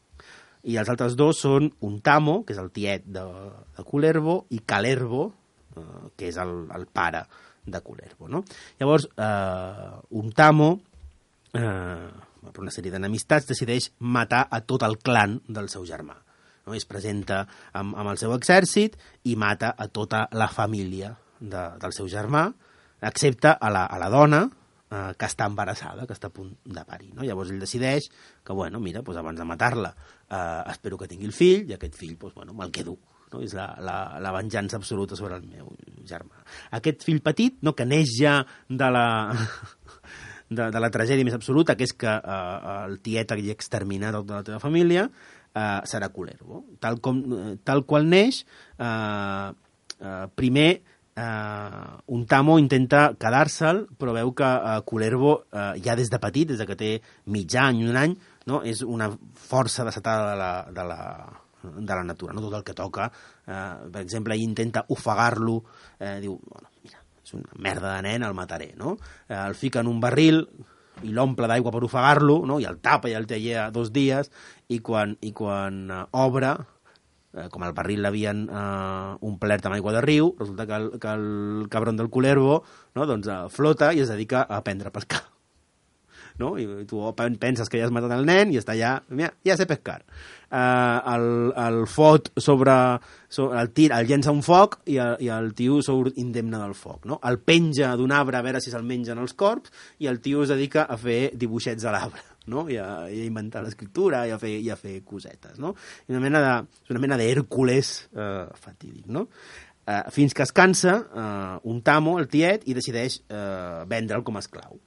i els altres dos són Untamo, que és el tiet de, de Kullervo, i Kalervo, eh, que és el, el pare de Kullervo, no? Llavors, eh, Untamo, eh, per una sèrie d'enemistats, decideix matar a tot el clan del seu germà. No? Es presenta amb, amb el seu exèrcit i mata a tota la família de, del seu germà, excepte a la, a la dona eh, que està embarassada, que està a punt de parir. No? Llavors ell decideix que, bueno, mira, doncs abans de matar-la eh, espero que tingui el fill, i aquest fill, doncs, bueno, me'l quedo. No? És la, la, la venjança absoluta sobre el meu germà. Aquest fill petit, no, que neix ja de la... De, de la tragèdia més absoluta, que és que eh, el tiet hagi exterminat tota la teva família, eh, serà Kullervo. Tal, com, tal qual neix, eh, eh, primer eh, Untamo intenta quedar-se'l, però veu que eh, Kullervo eh, ja des de petit, des de que té mig any, un any, no? És una força desatada de la, de la, de la natura, no? Tot el que toca. Eh, per exemple, ell intenta ofegar-lo, eh, diu, bueno, mira, és una merda de nen, el mataré, no? Eh, el fica en un barril i l'omple d'aigua per ofegar-lo, no? I el tapa i el té allà dos dies, i quan, i quan uh, obre, eh, com el barril l'havien uh, omplert amb aigua de riu, resulta que el, que el cabron del Kullervo, no? Doncs, uh, flota i es dedica a aprendre a pescar. No? I tu penses que ja has matat el nen i està allà, mira, ja sé pescar. Uh, el, el fot sobre, sobre el tir, el llença un foc i el, i el tio surt indemne del foc, no? El penja d'un arbre a veure si se'l mengen els corbs i el tio es dedica a fer dibuixets a l'arbre, no? I a, i a inventar l'escriptura i a fer, i a fer cosetes, no? I una mena de, una mena d'Hèrcules uh, fatídic, no? Uh, fins que es cansa uh, Untamo, el tiet, i decideix uh, vendre'l com a esclau.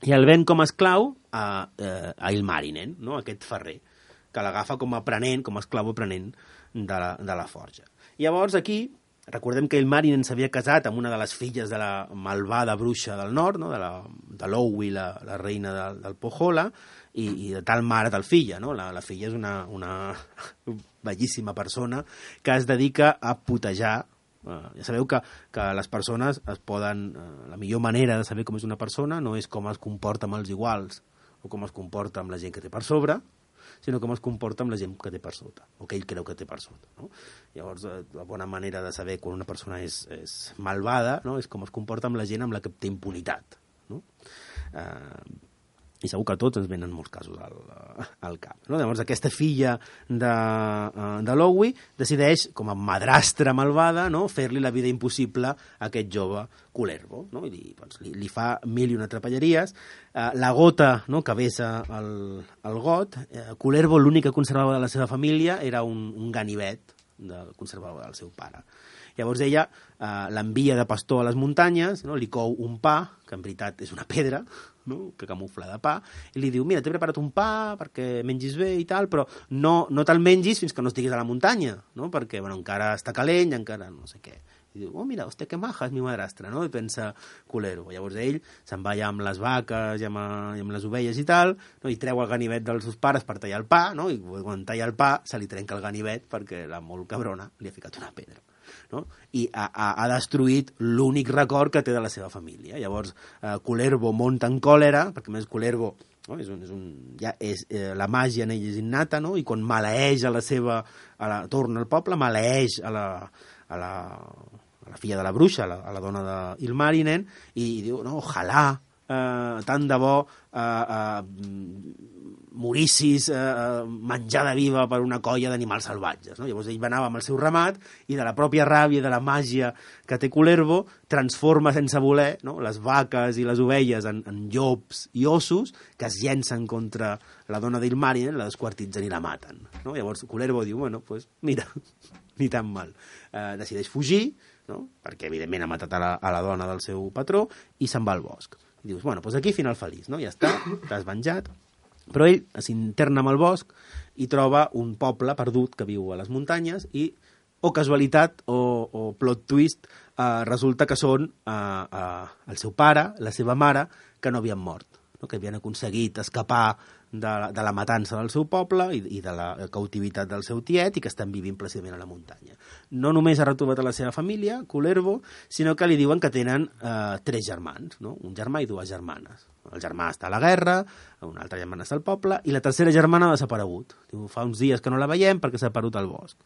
I el ven com a esclau a, a Ilmarinen, no? Aquest ferrer, que l'agafa com a aprenent, com a esclau aprenent de la, de la forja. I llavors aquí, recordem que Ilmarinen s'havia casat amb una de les filles de la malvada bruixa del nord, no? de, la, de l'Owi, la, la reina del, del Pohjola, i, i de tal mare, tal filla. No? La, la filla és una, una bellíssima persona que es dedica a putejar. Uh, ja sabeu que, que les persones es poden... Uh, la millor manera de saber com és una persona no és com es comporta amb els iguals o com es comporta amb la gent que té per sobre, sinó com es comporta amb la gent que té per sota, o que ell creu que té per sota. No? Llavors, la bona manera de saber quan una persona és, és malvada, no? És com es comporta amb la gent amb la que té impunitat. No? Eh, i segur que a tots ens venen molts casos al, al cap. No? Llavors, aquesta filla de, de Lowy decideix, com a madrastra malvada, no? fer-li la vida impossible a aquest jove Kullervo. No? I li, doncs, li, li fa mil i una trapelleries. Uh, la gota, no? que vessa el, el got, uh, Kullervo l'únic que conservava de la seva família era un, un ganivet del conservava del seu pare. Llavors ella eh, l'envia de pastor a les muntanyes, no? Li cou un pa, que en veritat és una pedra, no? que camufla de pa, i li diu, mira, t'he preparat un pa perquè mengis bé i tal, però no, no te'l mengis fins que no estiguis a la muntanya, no? perquè bueno, encara està calent, encara no sé què. I diu, oh, mira, hòstia, que maja és mi madrastra, no? I pensa Kullervo. Llavors ell se'n va allà amb les vaques i amb, i amb les ovelles i tal, no? I treu el ganivet dels seus pares per tallar el pa, no? I quan talla el pa se li trenca el ganivet perquè la molt cabrona li ha ficat una pedra. No? I ha, ha, ha destruït l'únic record que té de la seva família. Llavors, eh, Kullervo munta en còlera, perquè més Kullervo no? és un, és un, ja és, eh, la màgia en ell és innata, no? I quan maleeix a la seva, a la, torna al poble, maleeix a la, a la, a la filla de la bruixa, a la, a la dona d'Ilmarinen, i, i diu, no, ojalà, eh, tant de bo eh, eh, morissis eh, menjada viva per una colla d'animals salvatges. No? Llavors ell anava amb el seu ramat i de la pròpia ràbia i de la màgia que té Kullervo transforma sense voler no? les vaques i les ovelles en, en llops i ossos que es llencen contra la dona d'Ilmarinen, la desquartitzen i la maten. No? Llavors Kullervo diu, bueno, pues mira, ni tan mal. Eh, decideix fugir, no? perquè evidentment ha matat a la, a la dona del seu patró, i se'n va al bosc. I dius, bueno, pues aquí final feliç, no? ja està, t'has venjat. Però ell s'interna amb el bosc i troba un poble perdut que viu a les muntanyes i, o casualitat, o, o plot twist, eh, resulta que són eh, eh, el seu pare, la seva mare, que no havien mort, no? que havien aconseguit escapar de la, de la matança del seu poble i, i de la cautivitat del seu tiet i que estan vivint plàcidament a la muntanya. No només ha retrobat a la seva família, Kullervo, sinó que li diuen que tenen eh, tres germans, no? un germà i dues germanes. El germà està a la guerra, una altra germana està al poble, i la tercera germana ha desaparegut. Diu, fa uns dies que no la veiem perquè s'ha perdut al bosc.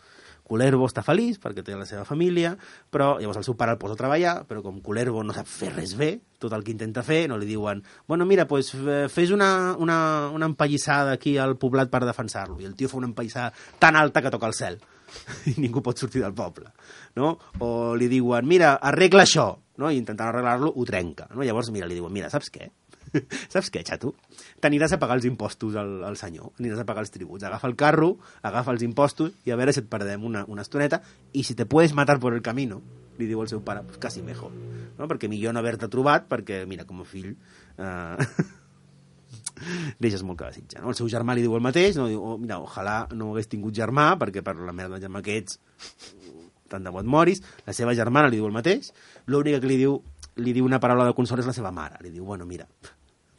Kullervo està feliç perquè té la seva família, però llavors el seu pare el posa a treballar, però com Kullervo no sap fer res bé, tot el que intenta fer, no li diuen, bueno, mira, pues, fes una, una, una empallissada aquí al poblat per defensar-lo, i el tio fa una empallissada tan alta que toca el cel, i ningú pot sortir del poble, no? O li diuen, mira, arregla això, no? I intentant arreglar-lo ho trenca, no? Llavors, mira, li diuen, mira, saps què? Saps què, xato? T'aniràs a pagar els impostos al, al senyor, aniràs a pagar els tributs. Agafa el carro, agafa els impostos i a veure si et perdem una, una estoneta i si te puedes matar por el camino, li diu el seu pare, pues casi mejor. No? Perquè millor no haver-te trobat, perquè, mira, com a fill... Eh... deixes molt que desitjar. No? El seu germà li diu el mateix, no? Diu, oh, mira, ojalà no hagués tingut germà, perquè per la merda de germà que ets, tant de bo et moris. La seva germana li diu el mateix. L'única que li diu, li diu una paraula de consol és la seva mare. Li diu, bueno, mira,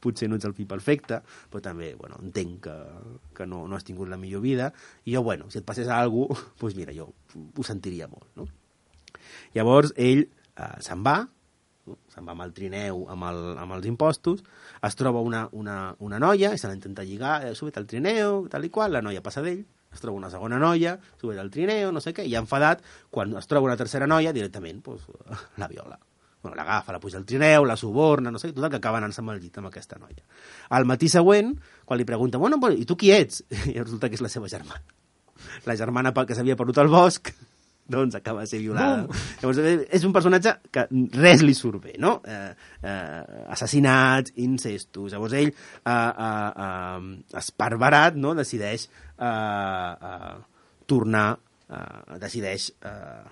potser no ets el fill perfecte, però també, bueno, entenc que, que no, no has tingut la millor vida, i jo, bueno, si et passés alguna cosa, doncs mira, jo ho sentiria molt, no? Llavors, ell eh, se'n va, no? se'n va amb el trineu, amb, el, amb els impostos, es troba una, una, una noia, i se l'intenta lligar, eh, subit al trineu, tal i qual, la noia passa d'ell, es troba una segona noia, subit al trineu, no sé què, i enfadat, quan es troba una tercera noia, directament, doncs, la viola. Bueno, l'agafa, la puja al trineu, la suborna, no sé, tot el que acaba anant-se amb el llit amb aquesta noia. Al matí següent, quan li pregunta, bueno, i tu qui ets? I resulta que és la seva germana. La germana que s'havia perdut al bosc, doncs acaba de ser violada. No. Llavors, és un personatge que res li surt bé, no? Eh, eh, assassinats, incestos. Llavors ell, eh, eh, eh, esparverat, no? decideix eh, eh, tornar, eh, decideix eh,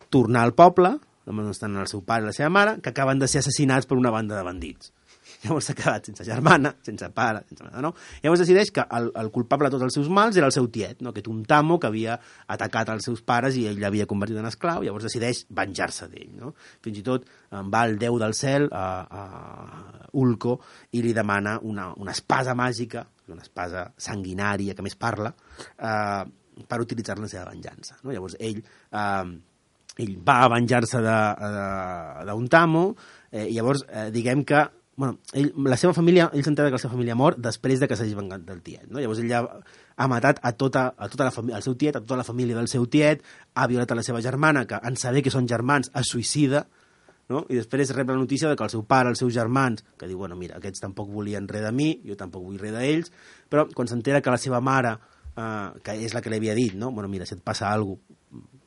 tornar al poble, on estan el seu pare i la seva mare, que acaben de ser assassinats per una banda de bandits. Llavors s'ha quedat sense germana, sense pare, sense mare, no? Llavors decideix que el, el culpable de tots els seus mals era el seu tiet, no? Aquest Untamo que havia atacat els seus pares i ell l'havia convertit en esclau, llavors decideix venjar-se d'ell, no? Fins i tot en va el déu del cel, a, a Ulco, i li demana una, una espasa màgica, una espasa sanguinària que més parla, eh, per utilitzar-la en la seva venjança, no? Llavors ell... Eh, ell va a venjar-se d'Untamo, eh, i llavors eh, diguem que bueno, ell, la seva família, ell s'entera que la seva família mor després de que s'hagi vengat del tiet, no? Llavors ell ja ha matat a tota, a tota la família, al seu tiet, a tota la família del seu tiet, ha violat a la seva germana, que en saber que són germans es suïcida, no? I després rep la notícia de que el seu pare, els seus germans, que diu, bueno, mira, aquests tampoc volien res de mi, jo tampoc vull res d'ells, però quan s'entera que la seva mare, eh, que és la que li havia dit, no? Bueno, mira, si et passa alguna cosa,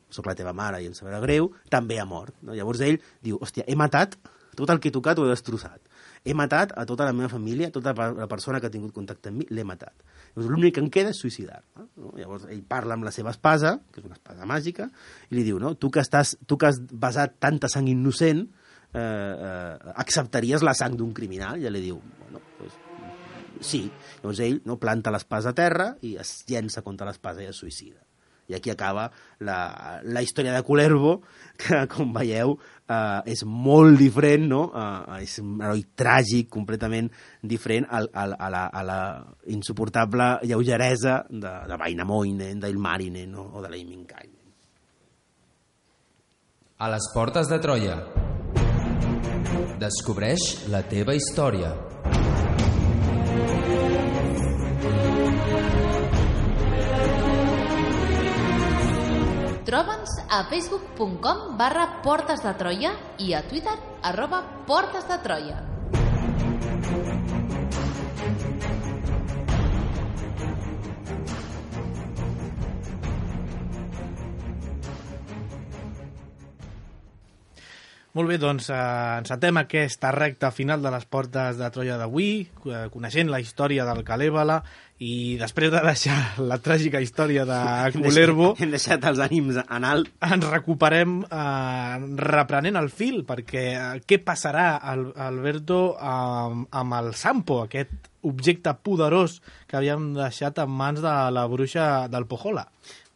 soc la teva mare i em sabrà greu, també ha mort, no? Llavors ell diu, hòstia, he matat tot el que he tocat, ho he destrossat. He matat a tota la meva família, tota la persona que ha tingut contacte amb mi, l'he matat. Llavors l'únic que em queda és suïcidar. No? Llavors ell parla amb la seva espasa, que és una espasa màgica, i li diu, no? tu, que estàs, tu que has basat tanta sang innocent, eh, eh, acceptaries la sang d'un criminal? I ell li diu, bueno, pues, sí. Llavors ell, no, planta l'espasa a terra i es llença contra l'espasa i es suïcida. I aquí acaba la, la història de Kullervo, que, com veieu, eh, és molt diferent, no? Eh, és un heroi tràgic, completament diferent a, a, a, la, a la insuportable lleugeresa de, de Väinämöinen, d'Ilmarinen, no? O de Lemminkainen. A les portes de Troia. Descobreix la teva història. Troba'ns a facebook punt com barra Portes de Troia i a Twitter arroba Portes de Troia. Molt bé, doncs eh, encetem aquesta recta final de les Portes de Troia d'avui, eh, coneixent la història del Kalèvala, i després de deixar la tràgica història de Kullervo, hem deixat els ànims en alt, ens recuperem eh, reprenent el fil, perquè eh, què passarà, al, Alberto, amb, amb el Sampo, aquest objecte poderós que havíem deixat en mans de la bruixa del Pohjola?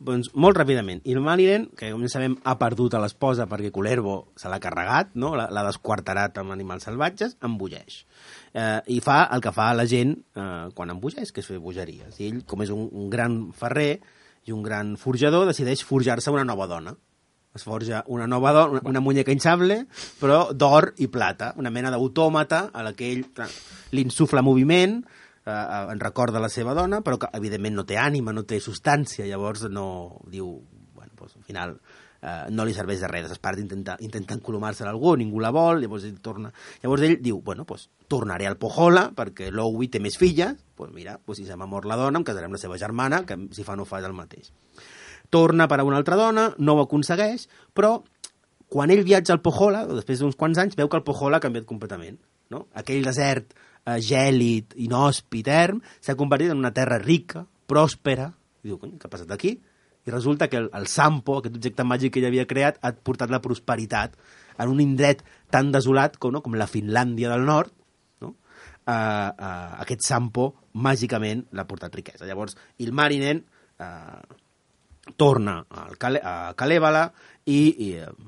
Doncs molt ràpidament. Ilmarinen, que com ja sabem ha perdut a l'esposa perquè Kullervo se l'ha carregat, no? l'ha desquarterat amb animals salvatges, embogeix. Eh, I fa el que fa la gent eh, quan embogeix, que és fer bogeries. I ell, com és un, un gran ferrer i un gran forjador, decideix forjar-se una nova dona. Es forja una nova dona, una, una muñeca hinchable, però d'or i plata, una mena d'autòmata a la que ell li insufla moviment, Uh, en recorda la seva dona, però que evidentment no té ànima, no té substància, llavors no diu, bueno, doncs, al final uh, no li serveix de res, desesperat intenta, intenta encolomar-se a algú, ningú la vol, llavors ell torna, llavors ell diu, bueno, doncs tornaré al Pohjola perquè l'Owi té més filles, doncs mira, doncs si se m'ha mort la dona em casaré amb la seva germana, que si fa no fa és el mateix. Torna per a una altra dona, no ho aconsegueix, però quan ell viatja al Pohjola, després d'uns quants anys, veu que el Pohjola ha canviat completament, no? Aquell desert Uh, gèlid, inhòspit, erm, s'ha convertit en una terra rica, pròspera. I diu, què ha passat aquí? I resulta que el, el Sampo, aquest objecte màgic que ell havia creat, ha portat la prosperitat en un indret tan desolat com, no? com la Finlàndia del nord, no? uh, uh, aquest Sampo màgicament l'ha portat riquesa. Llavors, Ilmarinen uh, torna al Kale, a Kalèvala i, i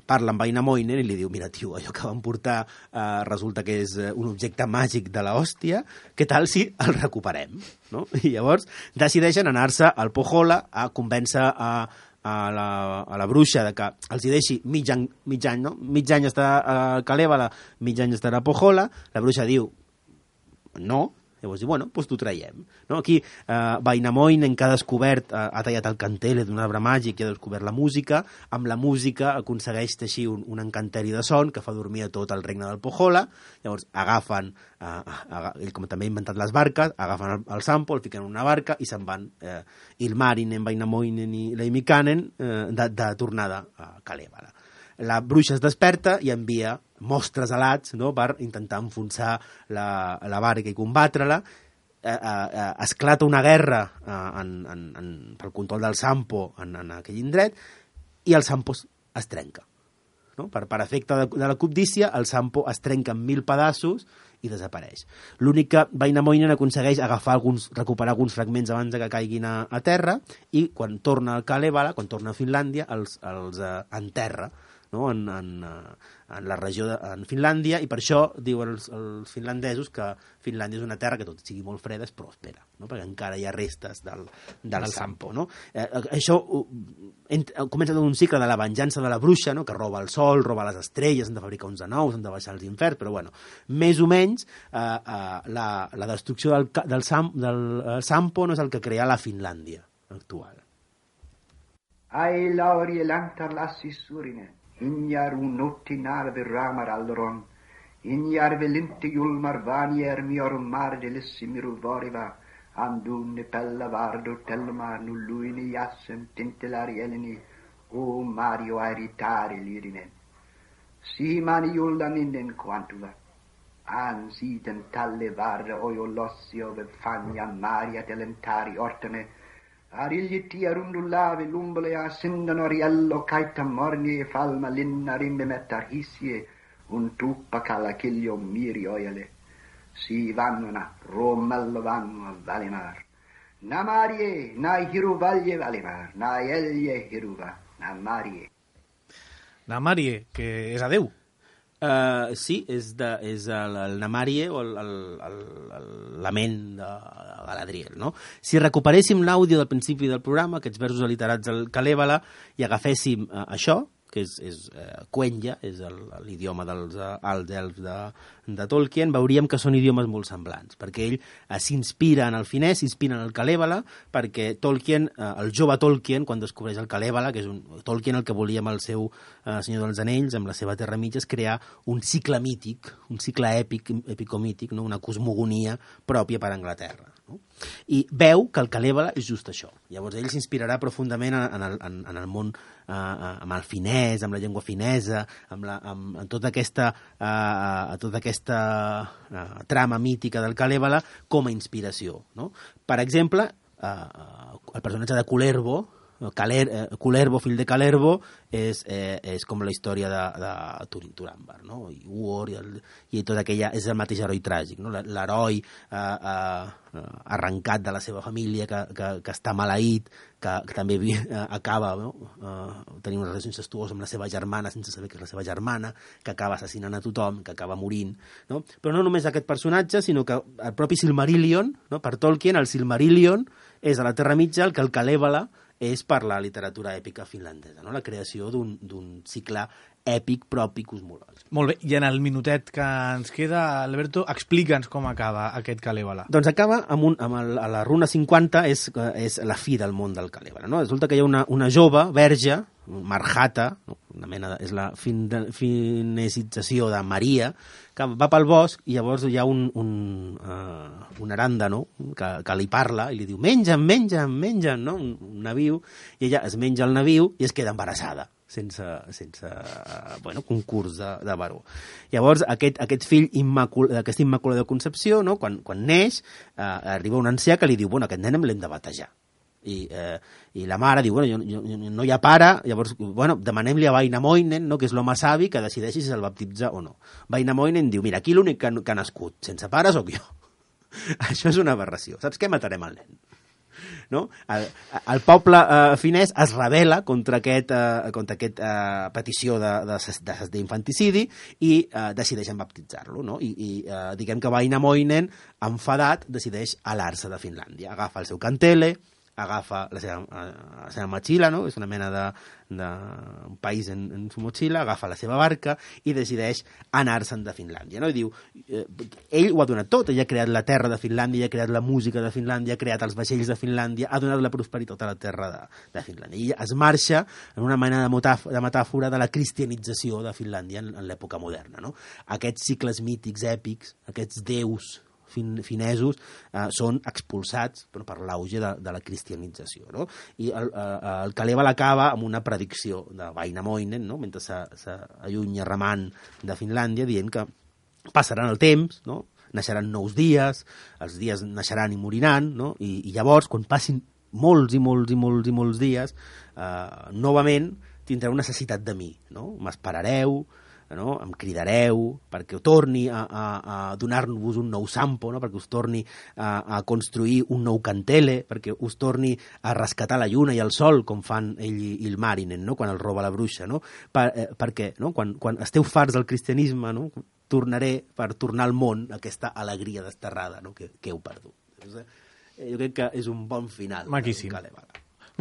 parla amb Väinämöinen i li diu, mira, tio, allò que vam portar eh, resulta que és un objecte màgic de la hòstia, què tal si el recuperem? No? I llavors decideixen anar-se al Pohjola a convèncer a, a, la, a la bruixa de que els hi deixi mig any, mig any, no? Mig any estarà a Kalèvala, mig any estarà a Pohjola. La bruixa diu, no. Llavors diu, bueno, doncs t'ho traiem. No? Aquí, eh, Väinämöinen, que ha descobert, eh, ha tallat el cantele d'un arbre màgic i ha descobert la música, amb la música aconsegueix teixir un, un encanteri de son que fa dormir a tot el regne del Pohjola. Llavors agafen, eh, aga, ell com també ha inventat les barques, agafen el, el Sampo, el fiquen en una barca i se'n van eh, Ilmarinen, Väinämöinen i Lemminkainen eh, de, de tornada a Kalèvala. La bruixa es desperta i envia mostres alats, no?, per intentar enfonsar la, la barca i combatre-la. Eh, eh, esclata una guerra eh, en, en, en, pel control del Sampo en, en aquell indret i el Sampo es trenca. No? Per, per efecte de, de la cobdícia, el Sampo es trenca en mil pedaços i desapareix. L'únic que Väinämöinen aconsegueix agafar alguns, recuperar alguns fragments abans de que caiguin a, a terra i quan torna al Kalèvala, quan torna a Finlàndia, els, els eh, enterra no? en, en, en la regió de en Finlàndia, i per això diuen els, els finlandesos que Finlàndia és una terra que tot sigui molt freda és pròspera, no? Perquè encara hi ha restes del, del, del Sampo. No? Eh, això ent, comença un cicle de la venjança de la bruixa, no? Que roba el sol, roba les estrelles, han de fabricar uns de nous, han de baixar els inferns, però bueno, més o menys eh, eh, la, la destrucció del, del, Sam, del Sampo no és el que crea la Finlàndia actual. Ai laurie lantar lassi surine, injar un notti narve ramar allron, injar velinti julmar vanier mior marde lessi miru voriva, andunne pella vardo telmar nulluini jassen tintelari eleni, o Mario airitari lirinen. Si mani juldan innen quantula, an siden talle varda ojo lossi ove fagna Maria delentari ortene, Arigliti arundullavi lumbole a sindano riello caita morni e falma linna rimbe mettar hissie un tuppa cala chiglio miri oiale. Si vannuna, romello vanno a Valimar. Na Marie, na hiruvaglie Valimar, na ellie hiruva, na Marie. Na Marie, que és a Déu. Uh, sí, és, de, és el, el Namarie o el, el, el, el lament de Galadriel, no? Si recuperéssim l'àudio del principi del programa, aquests versos aliterats al Kalèvala, i agaféssim uh, això, que és, és uh, Quenya, és l'idioma dels uh, alts elfs de, de Tolkien, veuríem que són idiomes molt semblants, perquè ell uh, s'inspira en el finès, s'inspira en el Kalèvala, perquè Tolkien, uh, el jove Tolkien, quan descobreix el Kalèvala, que és un Tolkien el que volia amb el seu uh, Senyor dels Anells, amb la seva Terra Mitja, és crear un cicle mític, un cicle èpic, epicomític, no? Una cosmogonia pròpia per a Anglaterra. No? I veu que el Kalèvala és just això. Llavors ell s'inspirarà profundament en el, en, en el món, uh, amb el finès, amb la llengua finesa, amb, la, amb, amb tota aquesta, uh, tota aquesta uh, trama mítica del Kalèvala com a inspiració. No? Per exemple, uh, el personatge de Kullervo, Caler, eh, Kullervo, fill de Calervo, és, eh, és com la història de, de Turin Turambar, no? I Uor, i, el, i tot aquella, és el mateix heroi tràgic, no? L'heroi eh, eh, arrencat de la seva família, que, que, que està maleït, que, que també eh, acaba no? eh, tenint una relació incestuosa amb la seva germana sense saber que és la seva germana, que acaba assassinant a tothom, que acaba morint, no? Però no només aquest personatge, sinó que el propi Silmarillion, no? Per Tolkien, el Silmarillion és a la Terra Mitja el que el Kalèvala és per la literatura èpica finlandesa, no? La creació d'un cicle èpic propi cosmològic. Molt bé, i en el minutet que ens queda, Alberto, explica'ns com acaba aquest Kalèvala. Doncs acaba amb, un, amb el, a la runa cinquanta, és, és la fi del món del Kalèvala, no? Resulta que hi ha una, una jove, verge, Marjata, no? Una mena de, és la fin, finesització de Maria, que va pel bosc i llavors hi ha un, un, uh, un arándano que, que li parla i li diu menja'm, menja'm, menja'm, no? Un, un naviu, i ella es menja el naviu i es queda embarassada sense, sense uh, bueno, concurs de, de baró. Llavors aquest, aquest fill immacul, aquesta immaculada concepció, no? quan, quan neix uh, arriba un ancià que li diu bueno, aquest nen l'hem de batejar. I, eh, i la mare diu, bueno, jo, jo, no hi ha pare, llavors, bueno, demanem-li a Vainamoinen, no, que és l'home savi, que decideixi si se'l baptitza o no. Vainamoinen diu, mira, aquí l'únic que, que ha nascut sense pare sóc jo. Això és una aberració. Saps què? Matarem el nen. No? El, el poble eh, finès es rebel·la contra aquest, eh, contra aquest eh, petició d'infanticidi i eh, decideixen baptitzar-lo, no? I, i eh, diguem que Vainamoinen, enfadat, decideix alar-se de Finlàndia. Agafa el seu cantele, agafa la seva, la seva motxilla, no? És una mena de, de un país en, en su motxilla, agafa la seva barca i decideix anar-se'n de Finlàndia, no? I diu, eh, ell ho ha donat tot, ell ha creat la terra de Finlàndia, ha creat la música de Finlàndia, ha creat els vaixells de Finlàndia, ha donat la prosperitat a la terra de, de Finlàndia. I es marxa en una mena de, metàf de metàfora de la cristianització de Finlàndia en, en l'època moderna, no? Aquests cicles mítics, èpics, aquests déus fin, finesos eh, són expulsats per, per l'auge de, de la cristianització, no? I el, eh, el Kalèvala acaba amb una predicció de Vainamoinen, no? Mentre s'allunya remant de Finlàndia, dient que passaran el temps, no? Naixeran nous dies, els dies naixeran i moriran, no? I, i llavors, quan passin molts i molts i molts i molts dies, eh, novament tindreu necessitat de mi, no? M'esperareu, no? Em cridareu perquè ho torni a, a, a donar-vos un nou sampo, no? Perquè us torni a, a construir un nou cantele, perquè us torni a rescatar la lluna i el sol, com fan ell i, i el Marinen, no? Quan el roba la bruixa, no? Per, eh, perquè no? quan, quan esteu farts del cristianisme, no? Tornaré per tornar al món aquesta alegria desterrada, no? que, que heu perdut. Jo crec que és un bon final. Maquíssim.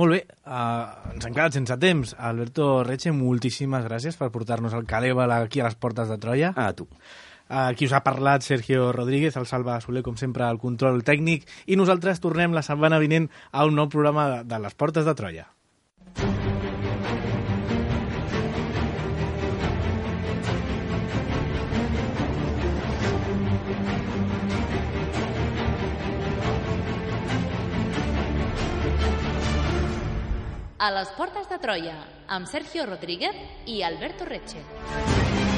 Molt bé, uh, ens hem quedat sense temps. Alberto Reche, moltíssimes gràcies per portar-nos el Kalevala aquí a les portes de Troia. A tu. Aquí us ha parlat Sergio Rodríguez, el Salva Soler, com sempre, al control tècnic, i nosaltres tornem la setmana vinent a un nou programa de, de les portes de Troia. A les portes de Troia, amb Sergio Rodríguez i Alberto Reche.